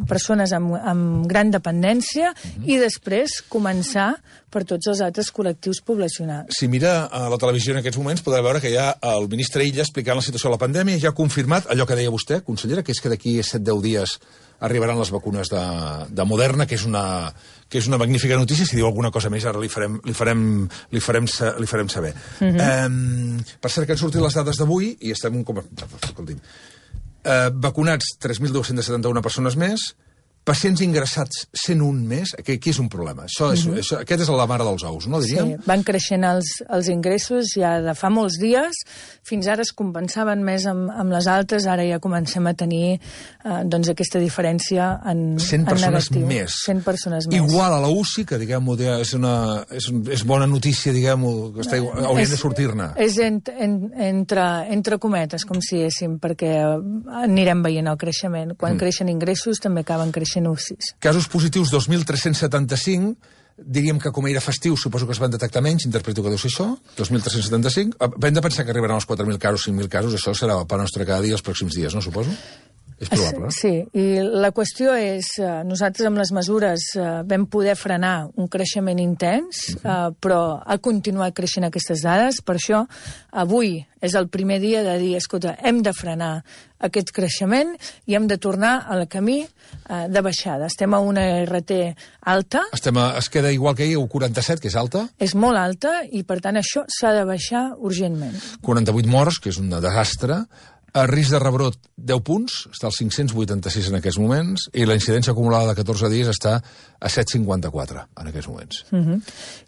persones amb, amb gran dependència, uh-huh. i després començar per tots els altres col·lectius poblacionals. Si mira a la televisió en aquests moments podrà veure que hi ha el ministre Illa explicant la situació de la pandèmia, ja ha confirmat allò que deia vostè, consellera, que és que d'aquí set deu dies arribaran les vacunes de, de Moderna, que és una que és una magnífica notícia. Si diu alguna cosa més, ara li farem, li farem, li farem, li farem saber. Uh-huh. eh, per cert, que han sortit les dades d'avui i estem... Com, escolti'm, eh, vacunats tres mil dos-cents setanta-una persones més, pacients ingressats cent un més, que aquí és un problema. Això és, uh-huh. això, aquest és la mare dels ous, no, diríem? Sí, van creixent els, els ingressos ja de fa molts dies, fins ara es compensaven més amb, amb les altres, ara ja comencem a tenir eh, doncs aquesta diferència en, cent en persones negatiu. Més. cent persones més. Igual a la U C I, que diguem-ho, és, una, és, és bona notícia, diguem-ho, que està, haurien de sortir-ne. És en, en, entre, entre cometes, com si diguéssim, perquè anirem veient el creixement. Quan mm. creixen ingressos també acaben creixent U C Is. Casos positius dos mil tres-cents setanta-cinc, diríem que com era festiu suposo que es van detectar menys, interpreto que deu ser això, dos mil tres-cents setanta-cinc. Hem de pensar que arribaran als quatre mil casos, cinc mil casos, això serà el pa nostre cada dia els pròxims dies, no, suposo? És probable. Sí, i la qüestió és, nosaltres amb les mesures vam poder frenar un creixement intens, uh-huh. però ha continuat creixent aquestes dades, per això avui és el primer dia de dir, escolta, hem de frenar aquest creixement i hem de tornar al camí uh, de baixada. Estem a una R T alta. Estem a, es queda igual que ahir, a quaranta-set, que és alta. És molt alta i, per tant, això s'ha de baixar urgentment. quaranta-vuit morts, que és un desastre. El risc de rebrot, deu punts, està als cinc-cents vuitanta-sis en aquests moments, i la incidència acumulada de catorze dies està a set coma cinquanta-quatre en aquests moments. Uh-huh.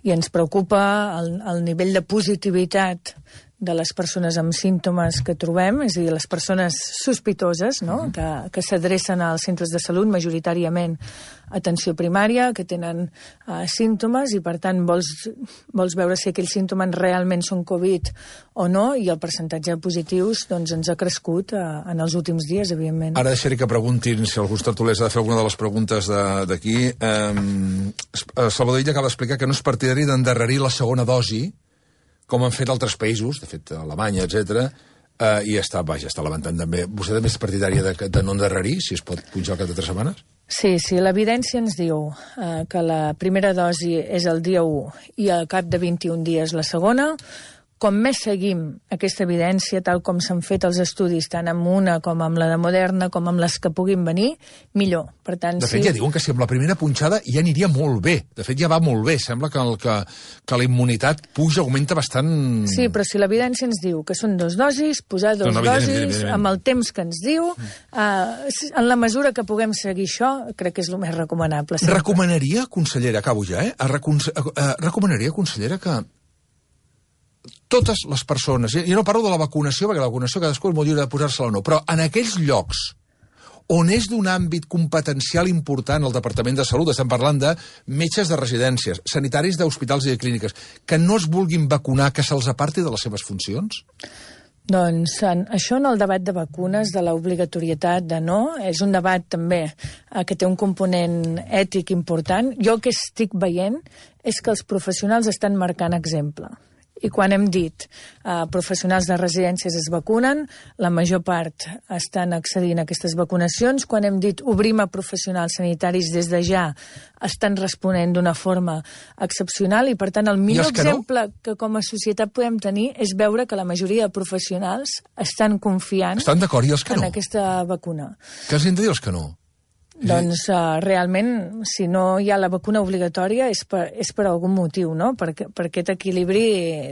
I ens preocupa el, el nivell de positivitat de les persones amb símptomes que trobem, és a dir, les persones sospitoses, no? uh-huh. que, que s'adrecen als centres de salut, majoritàriament atenció primària, que tenen uh, símptomes i, per tant, vols, vols veure si aquells símptomes realment són Covid o no, i el percentatge de positius doncs, ens ha crescut uh, en els últims dies, evidentment. Ara deixaré que preguntin si algú tertulers ha de fer alguna de les preguntes d'aquí. Um, Salvador Illa acaba d'explicar que no és partidari d'endarrerir la segona dosi, com han fet altres països, de fet, Alemanya, etcètera, eh, i està, vaja, està levantant també. Vostè també és partidària de, de no endarrerir, si es pot pujar al cap de tres setmanes? Sí, sí, l'evidència ens diu eh, que la primera dosi és el dia u i al cap de vint-i-un dies la segona. Com més seguim aquesta evidència, tal com s'han fet els estudis, tant amb una com amb la de Moderna, com amb les que puguin venir, millor. Per tant, de fet, sí... ja diuen que si amb la primera punxada ja aniria molt bé. De fet, ja va molt bé. Sembla que, el, que, que la immunitat puja, augmenta bastant... Sí, però si l'evidència ens diu que són dos dosis, posar dos no, no, dosis, evident, evident, evident. Amb el temps que ens diu, eh, en la mesura que puguem seguir això, crec que és el més recomanable. Sempre. Recomanaria, consellera, acabo ja, eh? Recon... Eh, recomanaria, consellera, que totes les persones, jo no parlo de la vacunació, perquè la vacunació cadascú és molt lliure de posar-se-la o no, però en aquells llocs on és d'un àmbit competencial important el Departament de Salut, estem parlant de metges de residències, sanitaris d'hospitals i de clíniques, que no es vulguin vacunar, que se'ls aparti de les seves funcions? Doncs en, això en el debat de vacunes, de l'obligatorietat de no, és un debat també eh, que té un component ètic important. Jo el que estic veient és que els professionals estan marcant exemple. I quan hem dit eh, professionals de residències es vacunen, la major part estan accedint a aquestes vacunacions. Quan hem dit obrim a professionals sanitaris des de ja, estan responent d'una forma excepcional i, per tant, el millor que exemple no? que com a societat podem tenir és veure que la majoria de professionals estan confiant estan d'acord, i els que en no? aquesta vacuna. Què els hem de dir els que no? Doncs uh, realment, si no hi ha la vacuna obligatòria és per, és per algun motiu, no? Per, per aquest equilibri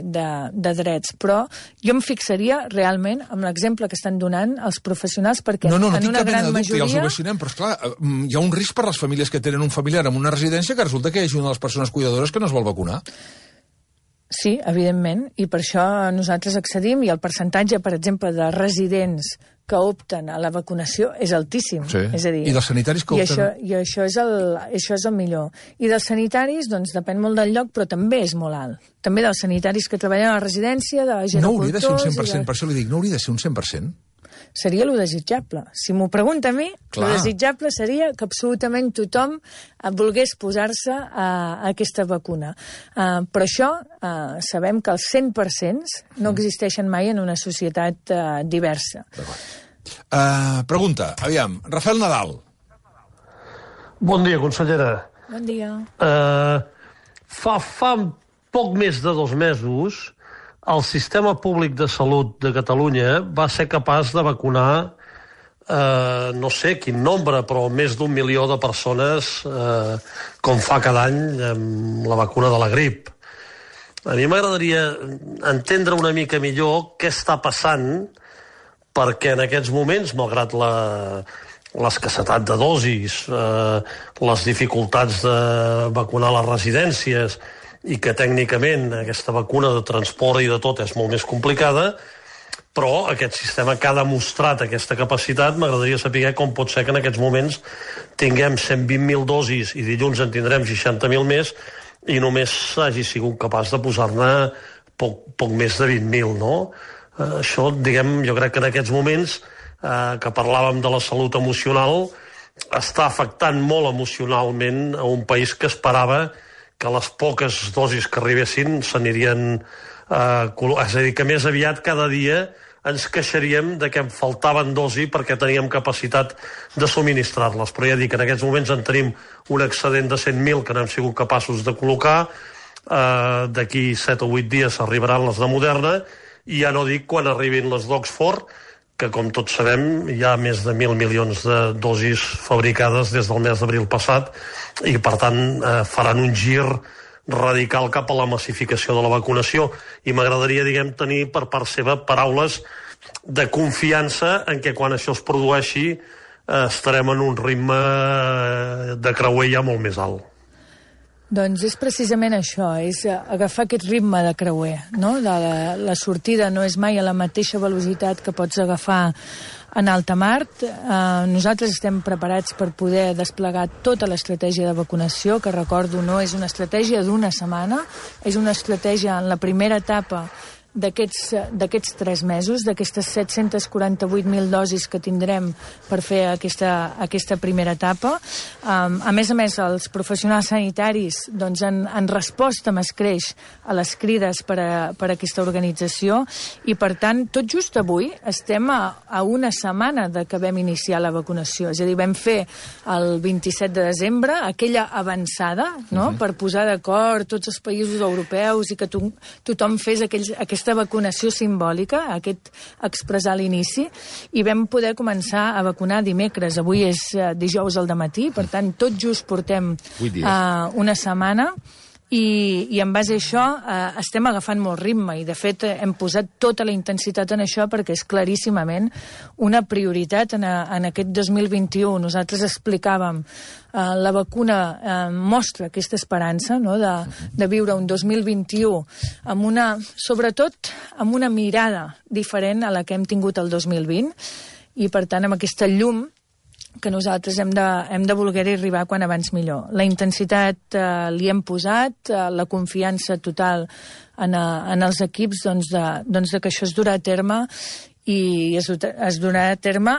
de, de drets. Però jo em fixaria realment amb l'exemple que estan donant els professionals, perquè no, no, no en una gran dubte, majoria... Ja els ovacionem, però esclar, hi ha un risc per les famílies que tenen un familiar en una residència que resulta que hi hagi una de les persones cuidadores que no es vol vacunar. Sí, evidentment, i per això nosaltres accedim, i el percentatge, per exemple, de residents que opten a la vacunació és altíssim. Sí. És a dir, I dels sanitaris que i opten... això, i això, és el, això és el millor. I dels sanitaris, doncs, depèn molt del lloc, però també és molt alt. També dels sanitaris que treballen a la residència, de gerocultors... No hauria de ser un cent per cent, de... per això li dic, no hauria de ser un cent per cent? Seria lo desitjable. Si m'ho pregunta a mi, Clar. Lo desitjable seria que absolutament tothom volgués posar-se a, a aquesta vacuna. Uh, però això uh, sabem que els cent per cent no existeixen mai en una societat uh, diversa. Uh, pregunta, aviam, Rafael Nadal. Bon dia, consellera. Bon dia. Uh, fa, fa poc més de dos mesos el sistema públic de salut de Catalunya va ser capaç de vacunar, eh, no sé quin nombre, però més d'un milió de persones, eh, com fa cada any amb la vacuna de la grip. A mi m'agradaria entendre una mica millor què està passant, perquè en aquests moments, malgrat la, l'escassetat de dosis, eh, les dificultats de vacunar les residències, i que tècnicament aquesta vacuna de transport i de tot és molt més complicada, però aquest sistema que ha demostrat aquesta capacitat, m'agradaria saber com pot ser que en aquests moments tinguem cent vint mil dosis i dilluns en tindrem seixanta mil més i només hagi sigut capaç de posar-ne poc, poc més de vint mil, no? Eh, això, diguem, jo crec que en aquests moments eh, que parlàvem de la salut emocional està afectant molt emocionalment a un país que esperava que les poques dosis que arribessin s'anirien... Eh, és a dir, que més aviat cada dia ens queixaríem de que em faltaven dosis perquè teníem capacitat de subministrar-les. Però ja dic que en aquests moments en tenim un excedent de cent mil que no hem sigut capaços de col·locar. Eh, D'aquí set o vuit dies arribaran les de Moderna i ja no dic quan arribin les d'Oxford, que com tots sabem hi ha més de mil milions de dosis fabricades des del mes d'abril passat i per tant eh, faran un gir radical cap a la massificació de la vacunació i m'agradaria, diguem, tenir per part seva paraules de confiança en que quan això es produeixi eh, estarem en un ritme de creuer ja molt més alt. Doncs és precisament això, és agafar aquest ritme de creuer, no? La, la sortida no és mai a la mateixa velocitat que pots agafar en alta mar. Eh, nosaltres estem preparats per poder desplegar tota l'estratègia de vacunació, que recordo no és una estratègia d'una setmana, és una estratègia en la primera etapa d'aquests tres mesos, d'aquestes set-cents quaranta-vuit mil dosis que tindrem per fer aquesta, aquesta primera etapa. Um, a més a més, els professionals sanitaris doncs, han, han respost amb escreix a les crides per a, per a aquesta organització i, per tant, tot just avui estem a, a una setmana de que vam iniciar la vacunació. És a dir, vam fer el vint-i-set de desembre aquella avançada, no?, uh-huh. per posar d'acord tots els països europeus i que to tothom fes aquells, aquesta vacunació simbòlica, aquest expressar l'inici, i vam poder començar a vacunar dimecres. Avui és uh, dijous al dematí, per tant, tot just portem uh, una setmana, i, i en base a això eh, estem agafant molt ritme i de fet hem posat tota la intensitat en això perquè és claríssimament una prioritat en, a, en aquest dos mil vint-i-u. Nosaltres explicàvem eh, la vacuna eh, mostra aquesta esperança, no?, de, de viure un dos mil vint-i-u amb una, sobretot amb una mirada diferent a la que hem tingut el dos mil vint i per tant amb aquesta llum que nosaltres hem de, hem de voler arribar quan abans millor. La intensitat eh, li hem posat, eh, la confiança total en, eh, en els equips doncs de, doncs de que això es durà a terme i es, es donarà a terme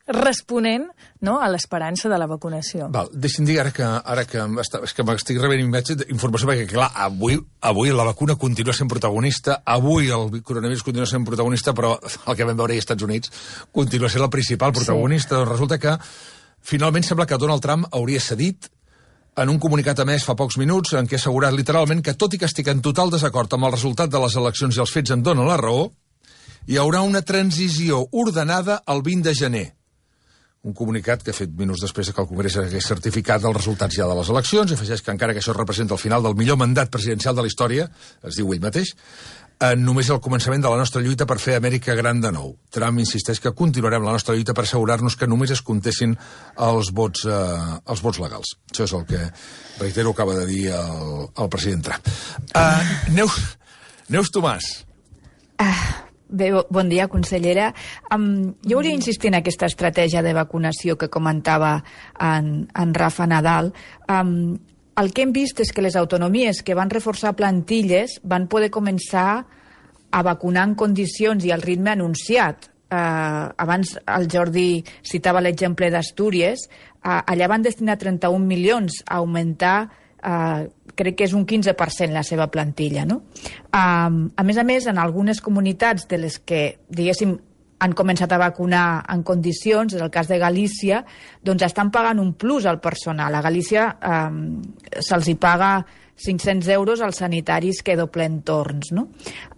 responent, no?, a l'esperança de la vacunació. Val, deixi'm dir, ara que, ara que, és que m'estic rebent informació, perquè, clar, avui, avui la vacuna continua sent protagonista, avui el coronavirus continua sent protagonista, però el que vam veure als Estats Units continua sent el principal protagonista. Sí. Doncs resulta que, finalment, sembla que Donald Trump hauria cedit en un comunicat emès fa pocs minuts en què ha assegurat literalment que, tot i que estic en total desacord amb el resultat de les eleccions i els fets em donen la raó, hi haurà una transició ordenada el vint de gener. Un comunicat que ha fet minuts després que el Congrés hagués certificat els resultats ja de les eleccions, i afegeix que encara que això representa el final del millor mandat presidencial de la història, es diu ell mateix, eh, només el començament de la nostra lluita per fer Amèrica gran de nou. Trump insisteix que continuarem la nostra lluita per assegurar-nos que només es comptessin els vots, eh, els vots legals. Això és el que, reitero, acaba de dir el, el president Trump. Uh, Neus, Neus Tomàs. Ah, bé, bon dia, consellera. Um, jo volia insistir en aquesta estratègia de vacunació que comentava en, en Rafa Nadal. Um, el que hem vist és que les autonomies que van reforçar plantilles van poder començar a vacunar en condicions i al ritme anunciat. Uh, abans el Jordi citava l'exemple d'Astúries. Uh, allà van destinar trenta-un milions a augmentar, uh, crec que és un quinze per cent la seva plantilla, no? Um, a més a més, en algunes comunitats de les que, diguéssim, han començat a vacunar en condicions, en el cas de Galícia, doncs estan pagant un plus al personal. A Galícia um, se'ls hi paga cinc-cents euros als sanitaris que doblen torns, no?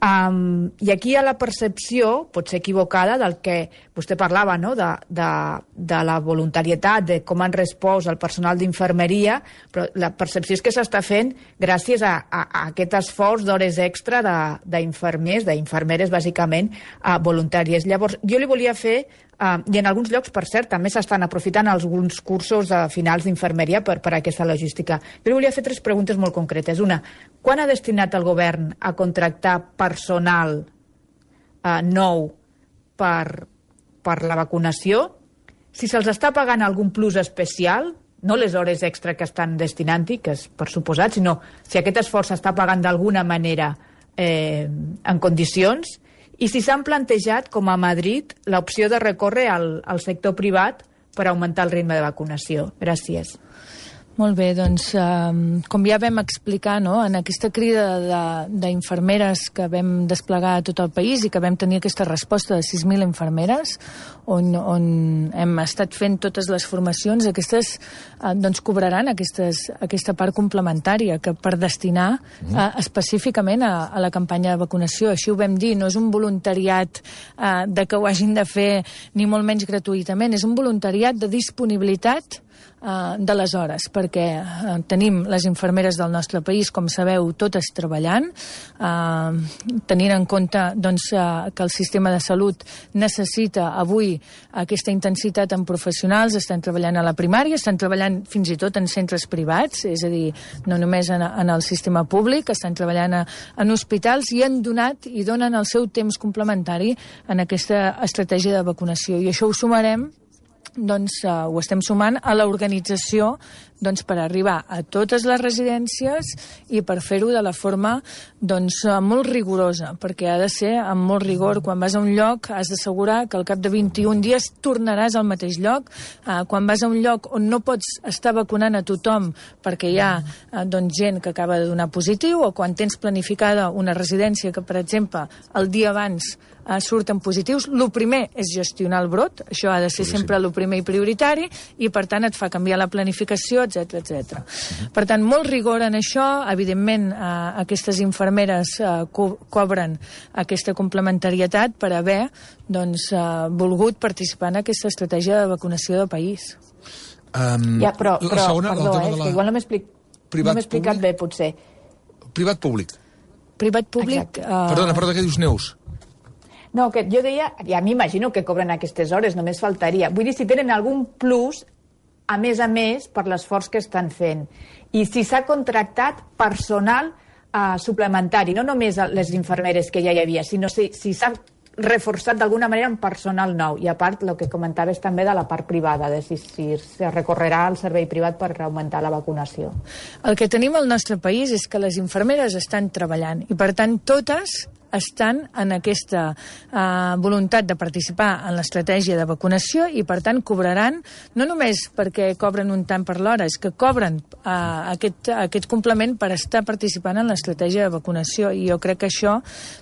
Um, I aquí hi ha la percepció, potser equivocada, del que vostè parlava, no?, de, de, de la voluntarietat, de com han respost el personal d'infermeria, però la percepció és que s'està fent gràcies a, a, a aquest esforç d'hores extra d'infermers, d'infermeres, bàsicament, uh, voluntàries. Llavors, jo li volia fer, uh, i en alguns llocs, per cert, també s'estan aprofitant alguns cursos uh, finals d'infermeria per, per aquesta logística. Jo li volia fer tres preguntes molt concretes. Una, quan ha destinat el govern a contractar personal uh, nou per, per la vacunació? Si se'ls està pagant algun plus especial, no les hores extra que estan destinant-hi, que és per suposat, sinó si aquest esforç s'està pagant d'alguna manera eh, en condicions, i si s'han plantejat, com a Madrid, l'opció de recórrer al, al sector privat per augmentar el ritme de vacunació. Gràcies. Molt bé, doncs, eh, com ja vam explicar, no?, en aquesta crida d'infermeres que vam desplegar a tot el país i que vam tenir aquesta resposta de sis mil infermeres, on, on hem estat fent totes les formacions, aquestes eh, doncs cobraran aquestes, aquesta part complementària que per destinar eh, específicament a, a la campanya de vacunació. Així ho vam dir, no és un voluntariat eh, de que ho hagin de fer ni molt menys gratuïtament, és un voluntariat de disponibilitat de les hores, perquè eh, tenim les infermeres del nostre país, com sabeu, totes treballant, eh, tenint en compte doncs, eh, que el sistema de salut necessita avui aquesta intensitat en professionals, estan treballant a la primària, estan treballant fins i tot en centres privats, és a dir, no només en, en el sistema públic, estan treballant a, en hospitals i han donat i donen el seu temps complementari en aquesta estratègia de vacunació. I això ho sumarem, doncs uh, ho estem sumant a l'organització doncs, per arribar a totes les residències i per fer-ho de la forma doncs, uh, molt rigorosa, perquè ha de ser amb molt rigor. Quan vas a un lloc has d'assegurar que al cap de vint-i-un dies tornaràs al mateix lloc. Uh, quan vas a un lloc on no pots estar vacunant a tothom perquè hi ha uh, doncs, gent que acaba de donar positiu, o quan tens planificada una residència que, per exemple, el dia abans uh, surten positius, el primer és gestionar el brot, això ha de ser sí, sempre el sí. primer i prioritari, i per tant et fa canviar la planificació, etcètera etcètera. Uh-huh. Per tant, molt rigor en això. Evidentment, eh, aquestes infermeres eh, co cobren aquesta complementarietat per haver doncs, eh, volgut participar en aquesta estratègia de vacunació del país. Um, ja, però, però segona, perdó, eh, la... que igual no m'he explic... no explicat bé, potser. Privat-públic. Privat-públic... Uh... Perdona, perdona, què dius, Neus? No, que jo deia, ja m'imagino que cobren aquestes hores, només faltaria. Vull dir, si tenen algun plus, a més a més, per l'esforç que estan fent. I si s'ha contractat personal uh, suplementari, no només les infermeres que ja hi havia, sinó si s'ha si reforçat d'alguna manera un personal nou. I a part, el que comentaves també de la part privada, de si, si es recorrerà al servei privat per augmentar la vacunació. El que tenim al nostre país és que les infermeres estan treballant i, per tant, totes estan en aquesta uh, voluntat de participar en l'estratègia de vacunació i, per tant, cobraran, no només perquè cobren un tant per l'hora, és que cobren uh, aquest, aquest complement per estar participant en l'estratègia de vacunació, i jo crec que això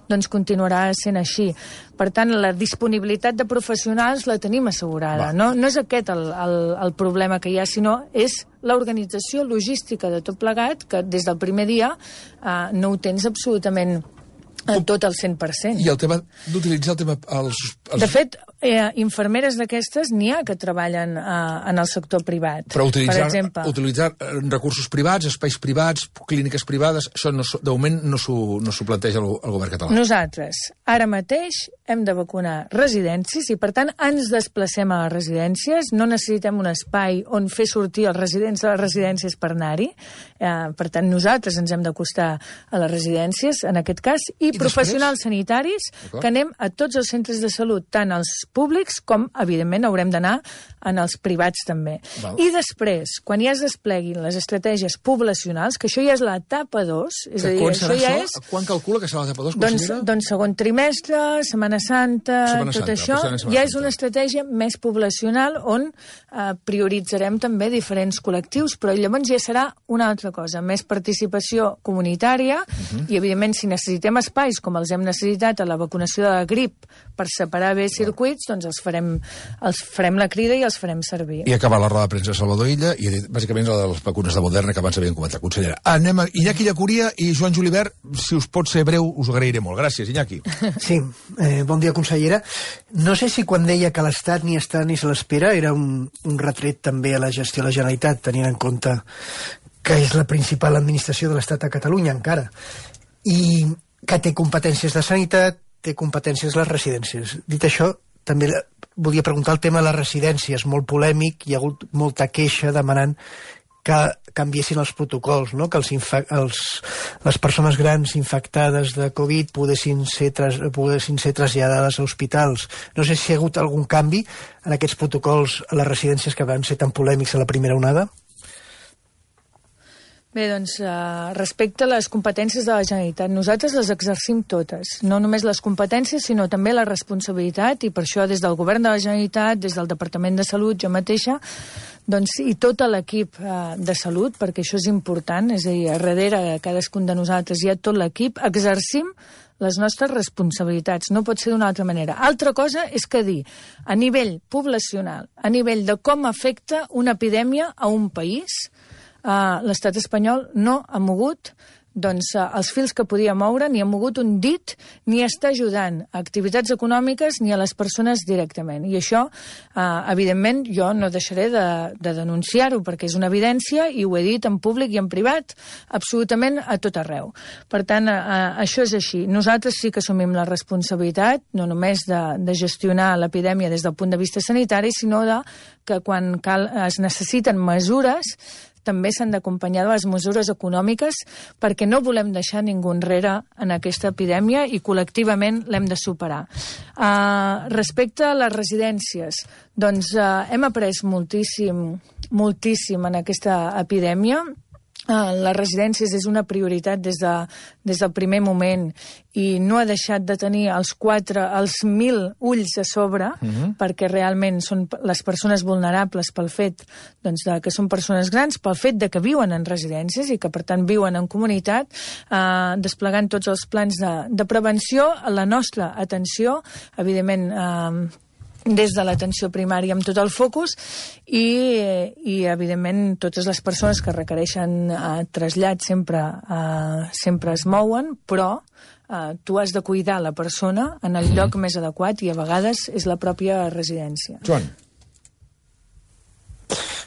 doncs, continuarà sent així. Per tant, la disponibilitat de professionals la tenim assegurada. No, no és aquest el, el, el problema que hi ha, sinó és l'organització logística de tot plegat, que des del primer dia eh, no ho tens absolutament eh, tot al cent per cent. I el tema d'utilitzar el tema... Els, els... De fet, eh, infermeres d'aquestes n'hi ha que treballen eh, en el sector privat. Però utilitzar, per exemple. utilitzar recursos privats, espais privats, clíniques privades, això no, de moment no s'ho no s'ho planteja el, el govern català. Nosaltres, ara mateix, hem de vacunar residències i, per tant, ens desplacem a les residències. No necessitem un espai on fer sortir els residents de les residències per anar-hi. Eh, per tant, nosaltres ens hem d'acostar a les residències, en aquest cas, i, I professionals després? sanitaris, que anem a tots els centres de salut, tant els públics com, evidentment, haurem d'anar en els privats també. Val. I després, quan ja es despleguin les estratègies poblacionals, que això ja és l'etapa dos, és a dir, això ja és... Quan calcula que serà l'etapa dos? Doncs, doncs segon trimestre, Setmana Santa, Setmana tot Santa, això, ja és una estratègia més poblacional on eh, prioritzarem també diferents col·lectius, però llavors ja serà una altra cosa, més participació comunitària, uh-huh. i evidentment si necessitem espais com els hem necessitat a la vacunació de la grip per separar bé circuits, doncs els farem, els farem la crida i els farem servir. I acabar la roda de premsa de Salvador Illa i bàsicament la de les vacunes de Moderna que abans havíem comentat, consellera. Anem a Iñaki Llacuria i Joan Julibert, si us pot ser breu us ho agrairé molt. Gràcies, Iñaki. Sí, eh, bon dia, consellera. No sé si quan deia que l'Estat ni està ni se l'espera era un, un retret també a la gestió de la Generalitat, tenint en compte que és la principal administració de l'Estat a Catalunya encara, i que té competències de sanitat, té competències les residències. Dit això, també volia preguntar el tema de les residències, molt polèmic, hi ha hagut molta queixa demanant que canviessin els protocols, no? Que els els, les persones grans infectades de Covid poguessin ser, tras poguessin ser traslladades a hospitals. No sé si hi ha hagut algun canvi en aquests protocols a les residències que van ser tan polèmics a la primera onada. Bé, doncs, uh, respecte a les competències de la Generalitat, nosaltres les exercim totes, no només les competències, sinó també la responsabilitat, i per això des del Govern de la Generalitat, des del Departament de Salut, jo mateixa, doncs, i tot l'equip uh, de Salut, perquè això és important, és a dir, a darrere de cadascun de nosaltres hi ha tot l'equip, exercim les nostres responsabilitats, no pot ser d'una altra manera. Altra cosa és que dir, a nivell poblacional, a nivell de com afecta una epidèmia a un país, Uh, l'estat espanyol no ha mogut doncs, uh, els fils que podia moure, ni ha mogut un dit, ni està ajudant a activitats econòmiques ni a les persones directament. I això, uh, evidentment, jo no deixaré de, de denunciar-ho, perquè és una evidència, i ho he dit en públic i en privat, absolutament a tot arreu. Per tant, uh, això és així. Nosaltres sí que assumim la responsabilitat, no només de, de gestionar l'epidèmia des del punt de vista sanitari, sinó de que quan cal, es necessiten mesures, també s'han d'acompanyar de les mesures econòmiques, perquè no volem deixar ningú enrere en aquesta epidèmia i col·lectivament l'hem de superar. Uh, respecte a les residències, doncs uh, hem après moltíssim, moltíssim en aquesta epidèmia. Uh, les residències és una prioritat des, de, des del primer moment i no ha deixat de tenir els quatre, els mil ulls a sobre, uh-huh. perquè realment són les persones vulnerables pel fet doncs, de que són persones grans, pel fet de que viuen en residències i que per tant viuen en comunitat, uh, desplegant tots els plans de, de prevenció, la nostra atenció, evidentment uh, des de l'atenció primària amb tot el focus i, i evidentment totes les persones que requereixen eh, trasllat sempre, eh, sempre es mouen, però eh, tu has de cuidar la persona en el lloc més adequat i a vegades és la pròpia residència. Joan.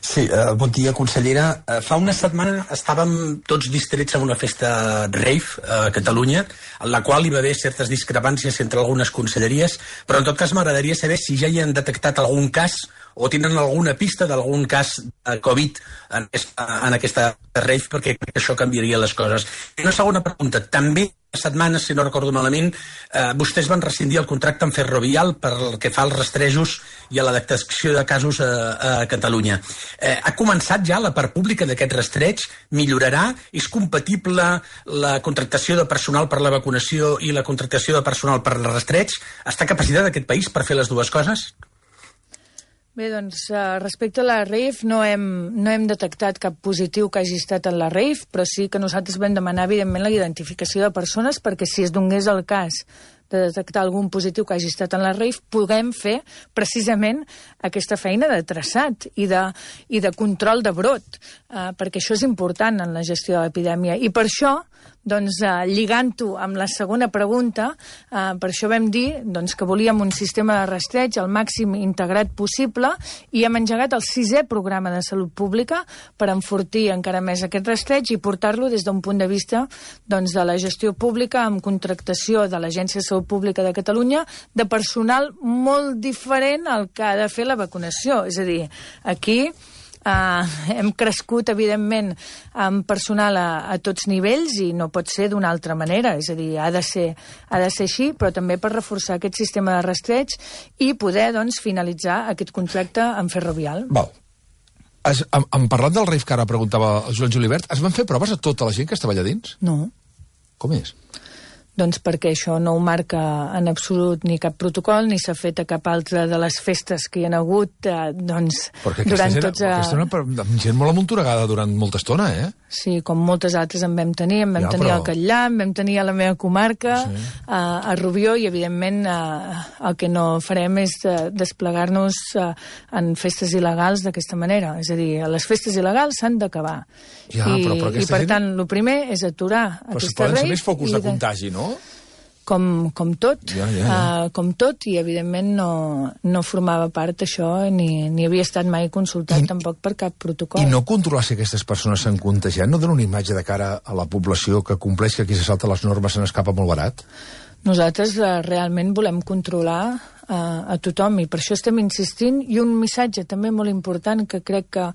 Sí, uh, bon dia, consellera. Uh, fa una setmana estàvem tots distrets en una festa rave a Catalunya, en la qual hi va haver certes discrepàncies entre algunes conselleries, però en tot cas m'agradaria saber si ja hi han detectat algun cas o tenen alguna pista d'algun cas de Covid en aquesta, en aquesta rave, perquè crec que això canviaria les coses. I una segona pregunta, també setmanes, si no recordo malament, eh, vostès van rescindir el contracte amb Ferrovial per el que fa als rastrejos i a la detecció de casos a, a Catalunya. Eh, ha començat ja la part pública d'aquest rastreig? Millorarà? És compatible la contractació de personal per la vacunació i la contractació de personal per el rastreig? Està capacitat aquest país per fer les dues coses? Bé, doncs, respecte a la rave, no hem, no hem detectat cap positiu que hagi estat en la rave, però sí que nosaltres vam demanar, evidentment, la identificació de persones perquè si es donés el cas de detectar algun positiu que hagi estat en la rave, puguem fer precisament aquesta feina de traçat i de, i de control de brot, eh, perquè això és important en la gestió de l'epidèmia. I per això, doncs, eh, lligant-ho amb la segona pregunta, eh, per això vam dir doncs, que volíem un sistema de rastreig al màxim integrat possible i hem engegat el sisè programa de salut pública per enfortir encara més aquest rastreig i portar-lo des d'un punt de vista doncs, de la gestió pública amb contractació de l'Agència de Salut Pública de Catalunya de personal molt diferent al que ha de fer la vacunació. És a dir, aquí Uh, hem crescut, evidentment, amb personal a, a tots nivells i no pot ser d'una altra manera. És a dir, ha de ser, ha de ser així, però també per reforçar aquest sistema de rastreig i poder, doncs, finalitzar aquest contracte amb Ferrovial. Val. Es, en, en parlant del rave que ara preguntava el Joan Julibert, es van fer proves a tota la gent que estava allà dins? No. Com és? Doncs perquè això no ho marca en absolut ni cap protocol, ni s'ha fet a cap altra de les festes que hi ha hagut, eh, doncs, durant gent, tots... A... Aquesta era una gent molt amunturegada durant molta estona, eh? Sí, com moltes altres en vam tenir. En vam ja, tenir però... al Catllà, en vam tenir a la meva comarca, sí. a, a Rubió, i evidentment a, el que no farem és de, desplegar-nos a, en festes il·legals d'aquesta manera. És a dir, les festes il·legals s'han d'acabar. Ja, I, però, però i per gent... tant, el primer és aturar però aquesta rave... Però rave... ser més focus de contagi, no? Com, com tot, ja, ja, ja. Uh, com tot, i evidentment no, no formava part això, ni, ni havia estat mai consultat I, tampoc per cap protocol. I no controlar si aquestes persones s'han contagiat no dona una imatge de cara a la població que compleix, que aquí se salta les normes se n'escapa molt barat? Nosaltres uh, realment volem controlar uh, a tothom i per això estem insistint, i un missatge també molt important que crec que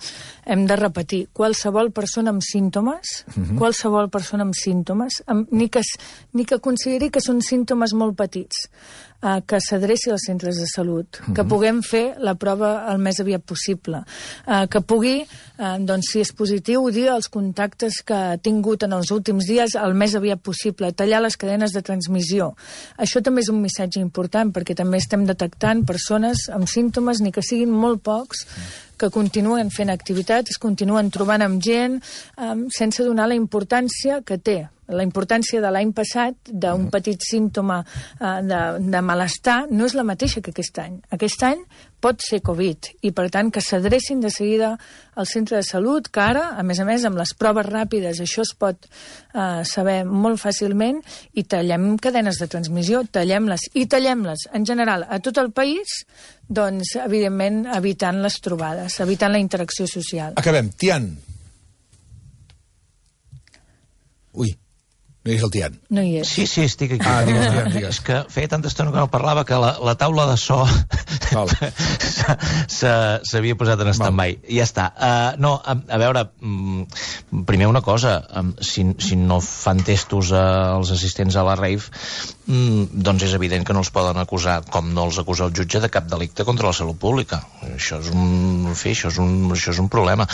hem de repetir: qualsevol persona amb símptomes, uh-huh. qualsevol persona amb símptomes, amb, ni, que, ni que consideri que són símptomes molt petits, uh, que s'adreci als centres de salut, uh-huh. que puguem fer la prova el més aviat possible, uh, que pugui, uh, doncs, si és positiu, dir els contactes que ha tingut en els últims dies el més aviat possible, tallar les cadenes de transmissió. Això també és un missatge important, perquè també estem detectant persones amb símptomes, ni que siguin molt pocs, que continuen fent activitats, es continuen trobant amb gent, um, sense donar la importància que té. La importància de l'any passat, d'un petit símptoma uh, de, de malestar, no és la mateixa que aquest any. Aquest any pot ser Covid, i per tant que s'adrecin de seguida al centre de salut, que ara, a més a més, amb les proves ràpides, això es pot uh, saber molt fàcilment, i tallem cadenes de transmissió, tallem-les, i tallem-les, en general, a tot el país, doncs, evidentment, evitant les trobades, evitant la interacció social. Acabem. Tian. Ui. No és el Tian. No hi és. Sí, sí, estic aquí. Ah, digues, Tian, digues. És que feia tanta estona que no parlava que la, la taula de so s'havia posat en stand-by. Ja està. Uh, no, a, a veure, um, primer una cosa, um, si, si no fan testos uh, als assistents a la rave, um, doncs és evident que no els poden acusar, com no els acusa el jutge, de cap delicte contra la salut pública. Això és un, en fi, això és un, això és un problema.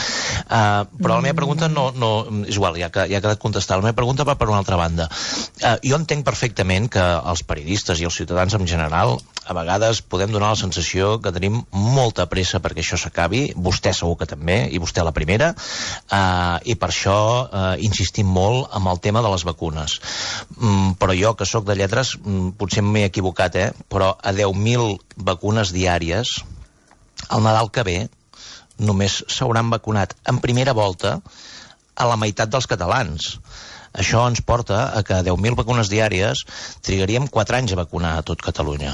Uh, però la meva pregunta no, no és igual, ja que ja ha quedat contestada. La meva pregunta va per una altra banda. Uh, jo entenc perfectament que els periodistes i els ciutadans en general a vegades podem donar la sensació que tenim molta pressa perquè això s'acabi, vostè segur que també, i vostè la primera, uh, i per això uh, insistim molt amb el tema de les vacunes. Mm, però jo, que sóc de lletres, mm, potser m'he equivocat, eh? Però a deu mil vacunes diàries, el Nadal que ve només s'hauran vacunat en primera volta a la meitat dels catalans. Això ens porta a que a deu mil vacunes diàries trigaríem quatre anys a vacunar a tot Catalunya.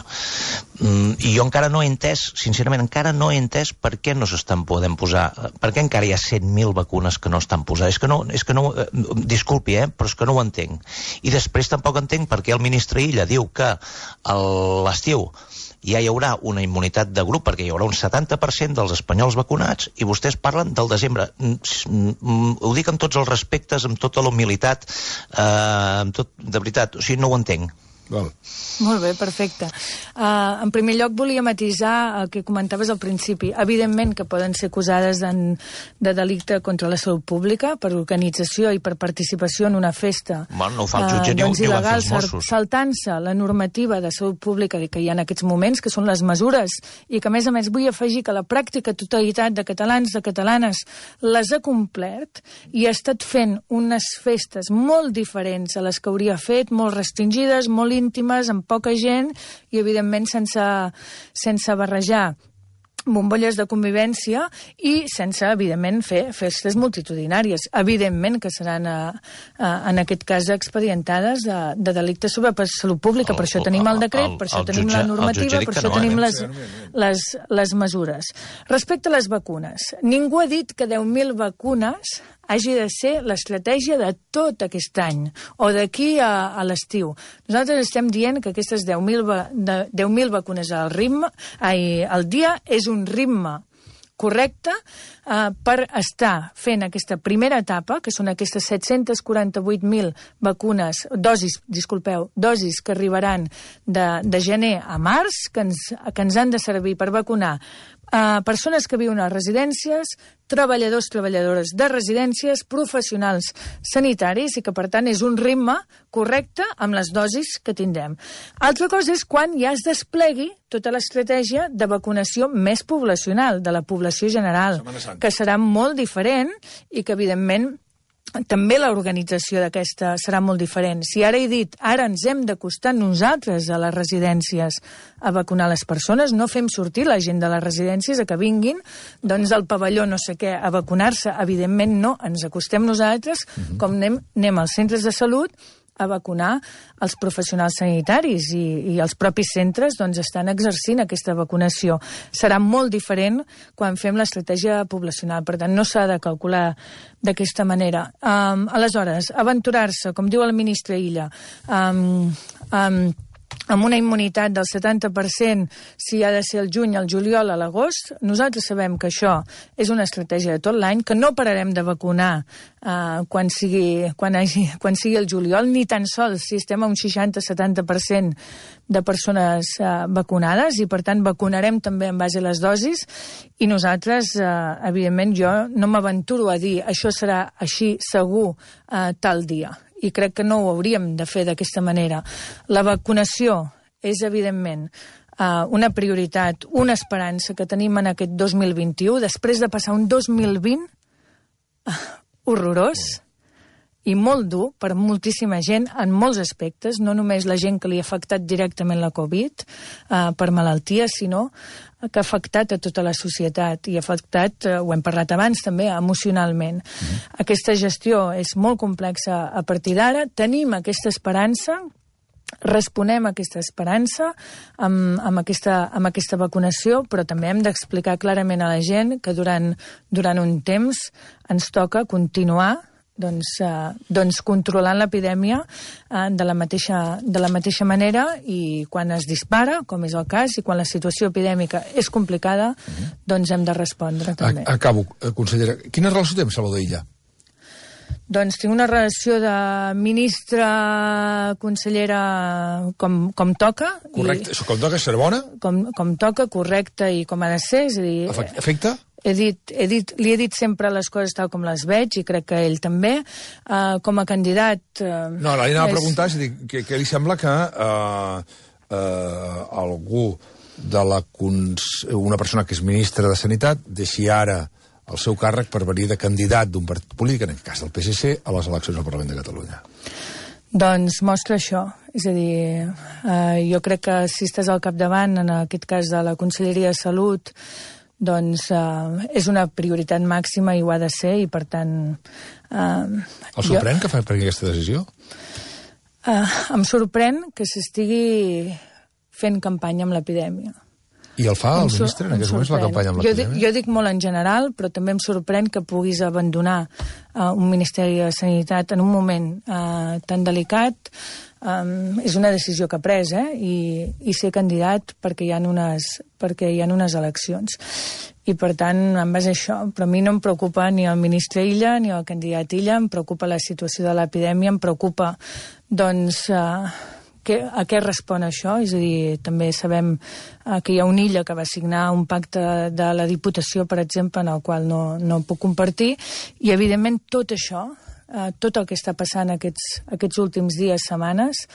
Mm, I jo encara no he entès, sincerament, encara no he entès per què no s'estan podent posar, per què encara hi ha cent mil vacunes que no estan posades. És que no, és que no, eh, disculpi, eh, però és que no ho entenc. I després tampoc entenc per què el ministre Illa diu que a l'estiu ja hi haurà una immunitat de grup, perquè hi haurà un setanta per cent dels espanyols vacunats, i vostès parlen del desembre. Ho dic amb tots els respectes, amb tota la humilitat, eh, amb tot, de veritat, o sigui, no ho entenc. Val. Molt bé, perfecte. Uh, en primer lloc volia matisar el que comentaves al principi. Evidentment que poden ser acusades en, de delicte contra la salut pública per organització i per participació en una festa. Bueno, no ho fa el jutge, uh, doncs ni ho van fer il·legal, els Mossos. saltant-se la normativa de salut pública que hi ha en aquests moments, que són les mesures, i que a més a més vull afegir que la pràctica totalitat de catalans, de catalanes, les ha complert i ha estat fent unes festes molt diferents a les que hauria fet, molt restringides, molt íntimes, amb poca gent i, evidentment, sense, sense barrejar bombolles de convivència i sense, evidentment, fer festes multitudinàries. Evidentment que seran, a, a, en aquest cas, expedientades de, de delictes sobre salut pública. El, per això tenim el decret, el, per això el tenim jutge, la normativa, per això no, tenim les, les, les mesures. Respecte a les vacunes, ningú ha dit que deu mil vacunes hagi de ser l'estratègia de tot aquest any o d'aquí a, a l'estiu. Nosaltres estem dient que aquestes deu mil vacunes al ritme, ai, al dia és un ritme correcte eh, per estar fent aquesta primera etapa, que són aquestes set-cents quaranta-vuit mil vacunes, dosis, disculpeu, dosis que arribaran de, de gener a març, que ens, que ens han de servir per vacunar a persones que viuen a residències, treballadors, treballadores de residències, professionals sanitaris, i que, per tant, és un ritme correcte amb les dosis que tindrem. Altra cosa és quan ja es desplegui tota l'estratègia de vacunació més poblacional, de la població general, que serà molt diferent i que, evidentment, també l'organització d'aquesta serà molt diferent. Si ara he dit, ara ens hem d'acostar nosaltres a les residències a vacunar les persones, no fem sortir la gent de les residències a que vinguin, doncs al pavelló no sé què, a vacunar-se, evidentment no, ens acostem nosaltres, uh-huh. com anem, anem als centres de salut a vacunar els professionals sanitaris i, i els propis centres doncs, estan exercint aquesta vacunació. Serà molt diferent quan fem l'estratègia poblacional, per tant no s'ha de calcular d'aquesta manera. Um, aleshores, aventurar-se, com diu el ministre Illa, um, um, amb una immunitat del setanta per cent si ha de ser el juny, el juliol, a l'agost, nosaltres sabem que això és una estratègia de tot l'any, que no pararem de vacunar eh, quan, sigui, quan, hagi, quan sigui el juliol, ni tan sols si estem a un seixanta setanta per cent de persones eh, vacunades, i per tant vacunarem també en base a les dosis, i nosaltres, eh, evidentment, jo no m'aventuro a dir això serà així segur eh, tal dia. I crec que no ho hauríem de fer d'aquesta manera. La vacunació és, evidentment, uh, una prioritat, una esperança que tenim en aquest dos mil vint-i-u, després de passar un dos mil vint uh, horrorós i molt dur per moltíssima gent en molts aspectes, no només la gent que li ha afectat directament la Covid uh, per malaltia, sinó que ha afectat a tota la societat i ha afectat, uh, ho hem parlat abans també, emocionalment. Mm-hmm. Aquesta gestió és molt complexa a partir d'ara, tenim aquesta esperança, responem a aquesta esperança amb, amb, aquesta, amb aquesta vacunació, però també hem d'explicar clarament a la gent que durant, durant un temps ens toca continuar doncs, eh, doncs controlant l'epidèmia eh, de, la mateixa, de la mateixa manera, i quan es dispara, com és el cas, i quan la situació epidèmica és complicada, uh-huh. doncs hem de respondre també. Acabo, consellera. Quina relació té amb Salvador Illa? Doncs tinc una relació de ministra, consellera, com, com toca. Correcte, i, com toca, ser bona? Com, com toca, correcte, i com ha de ser. És a dir, afecta? He dit, he dit, li he dit sempre les coses tal com les veig, i crec que ell també. Uh, com a candidat... Uh, no, li anava és... a preguntar, és a dir, que, que li sembla que uh, uh, algú de la cons... una persona que és ministra de Sanitat deixi ara el seu càrrec per venir de candidat d'un partit polític, en el cas del P S C, a les eleccions al Parlament de Catalunya. Doncs mostra això. És a dir, eh, jo crec que si estàs al capdavant, en aquest cas de la Conselleria de Salut, doncs eh, és una prioritat màxima i ho ha de ser, i per tant... Eh, El sorprèn jo... que fa per aquesta decisió? Eh, em sorprèn que s'estigui fent campanya amb l'epidèmia. I el fa el Em sur- ministre en em aquests moments, la sorprèn. campanya amb Jo dic, l'epidèmia? jo dic molt en general, però també em sorprèn que puguis abandonar uh, un Ministeri de Sanitat en un moment uh, tan delicat. Um, és una decisió que ha pres, eh? I, i ser candidat perquè hi ha unes, perquè hi ha unes eleccions. I, per tant, en base a això, però a mi no em preocupa ni el ministre Illa ni el candidat Illa, em preocupa la situació de l'epidèmia, em preocupa, doncs, uh, que, a què respon això? És a dir, també sabem uh, que hi ha un Illa que va signar un pacte de la Diputació, per exemple, en el qual no, no puc compartir, i, evidentment, tot això, uh, tot el que està passant aquests, aquests últims dies, setmanes,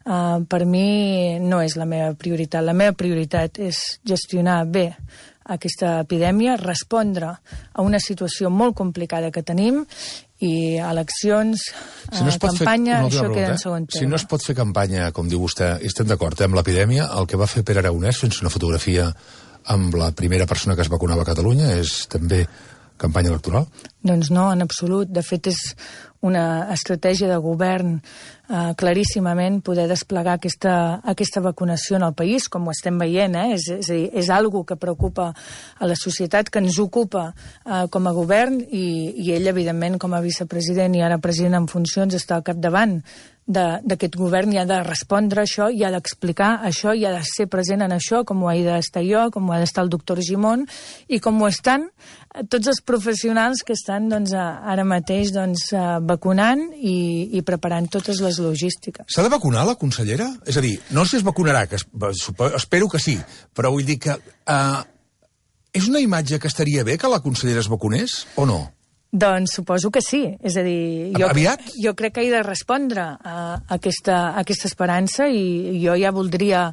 uh, per mi no és la meva prioritat. La meva prioritat és gestionar bé aquesta epidèmia, respondre a una situació molt complicada que tenim, i eleccions, Si no es eh, pot fer- campanya, una última això queda pregunta, en segon eh? terme. Si no es pot fer campanya, com diu vostè, i estem d'acord, eh, amb l'epidèmia, el que va fer Pere Aragonès, sense una fotografia amb la primera persona que es vacunava a Catalunya, és també campanya electoral? Doncs no, en absolut. De fet, és una estratègia de govern eh, claríssimament poder desplegar aquesta, aquesta vacunació en el país, com ho estem veient, eh? és, és, a dir, és algo que preocupa a la societat, que ens ocupa eh, com a govern, i, i ell, evidentment, com a vicepresident i ara president en funcions, està al capdavant d'aquest govern, i ha de respondre a això, i ha d'explicar això, i ha de ser present en això, com ho he d'estar jo, com ho ha d'estar el doctor Gimón, i com ho estan tots els professionals que estan doncs, ara mateix doncs, vacunant i, i preparant totes les logístiques. S'ha de vacunar la consellera? És a dir, no sé si es vacunarà, que es, espero que sí, però vull dir que uh, és una imatge que estaria bé que la consellera es vacunés, o no? Doncs suposo que sí. És a dir, jo, Aviat? jo crec que he de respondre a aquesta, a aquesta esperança, i jo ja voldria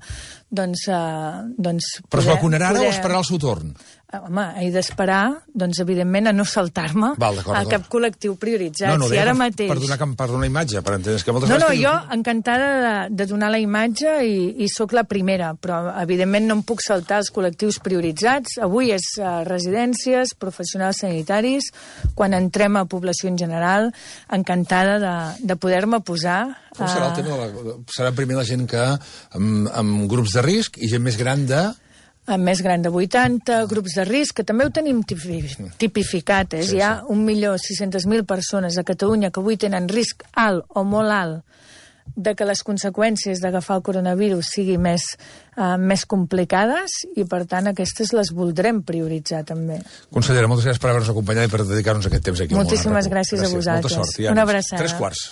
doncs, uh, doncs Però es poder- vacunarà ara poder- o esperarà el seu torn? Home, he d'esperar, doncs, evidentment, a no saltar-me Val, d'acord, a d'acord. cap col·lectiu prioritzat. No, no, si deia ara per, mateix... per, donar, per donar imatge, per entendre que moltes No, no, vegades... jo dius- encantada de, de donar la imatge, i, i sóc la primera, però evidentment no em puc saltar els col·lectius prioritzats. Avui és uh, residències, professionals sanitaris, quan entrem a població en general, encantada de, de poder-me posar... Com serà el tema de la... Serà primer la gent que amb, amb grups de risc i gent més gran de... amb més gran de vuitanta, grups de risc, que també ho tenim tipi- tipificat. Eh? Sí, Hi ha un milió sis-centes mil persones a Catalunya que avui tenen risc alt o molt alt de que les conseqüències d'agafar el coronavirus siguin més, uh, més complicades, i, per tant, aquestes les voldrem prioritzar, també. Consellera, moltes gràcies per haver-nos acompanyat i per dedicar-nos aquest temps aquí. al Món Moltíssimes a RAC u. gràcies a vosaltres. Molta sort. I Una ànims. abraçada. Tres quarts.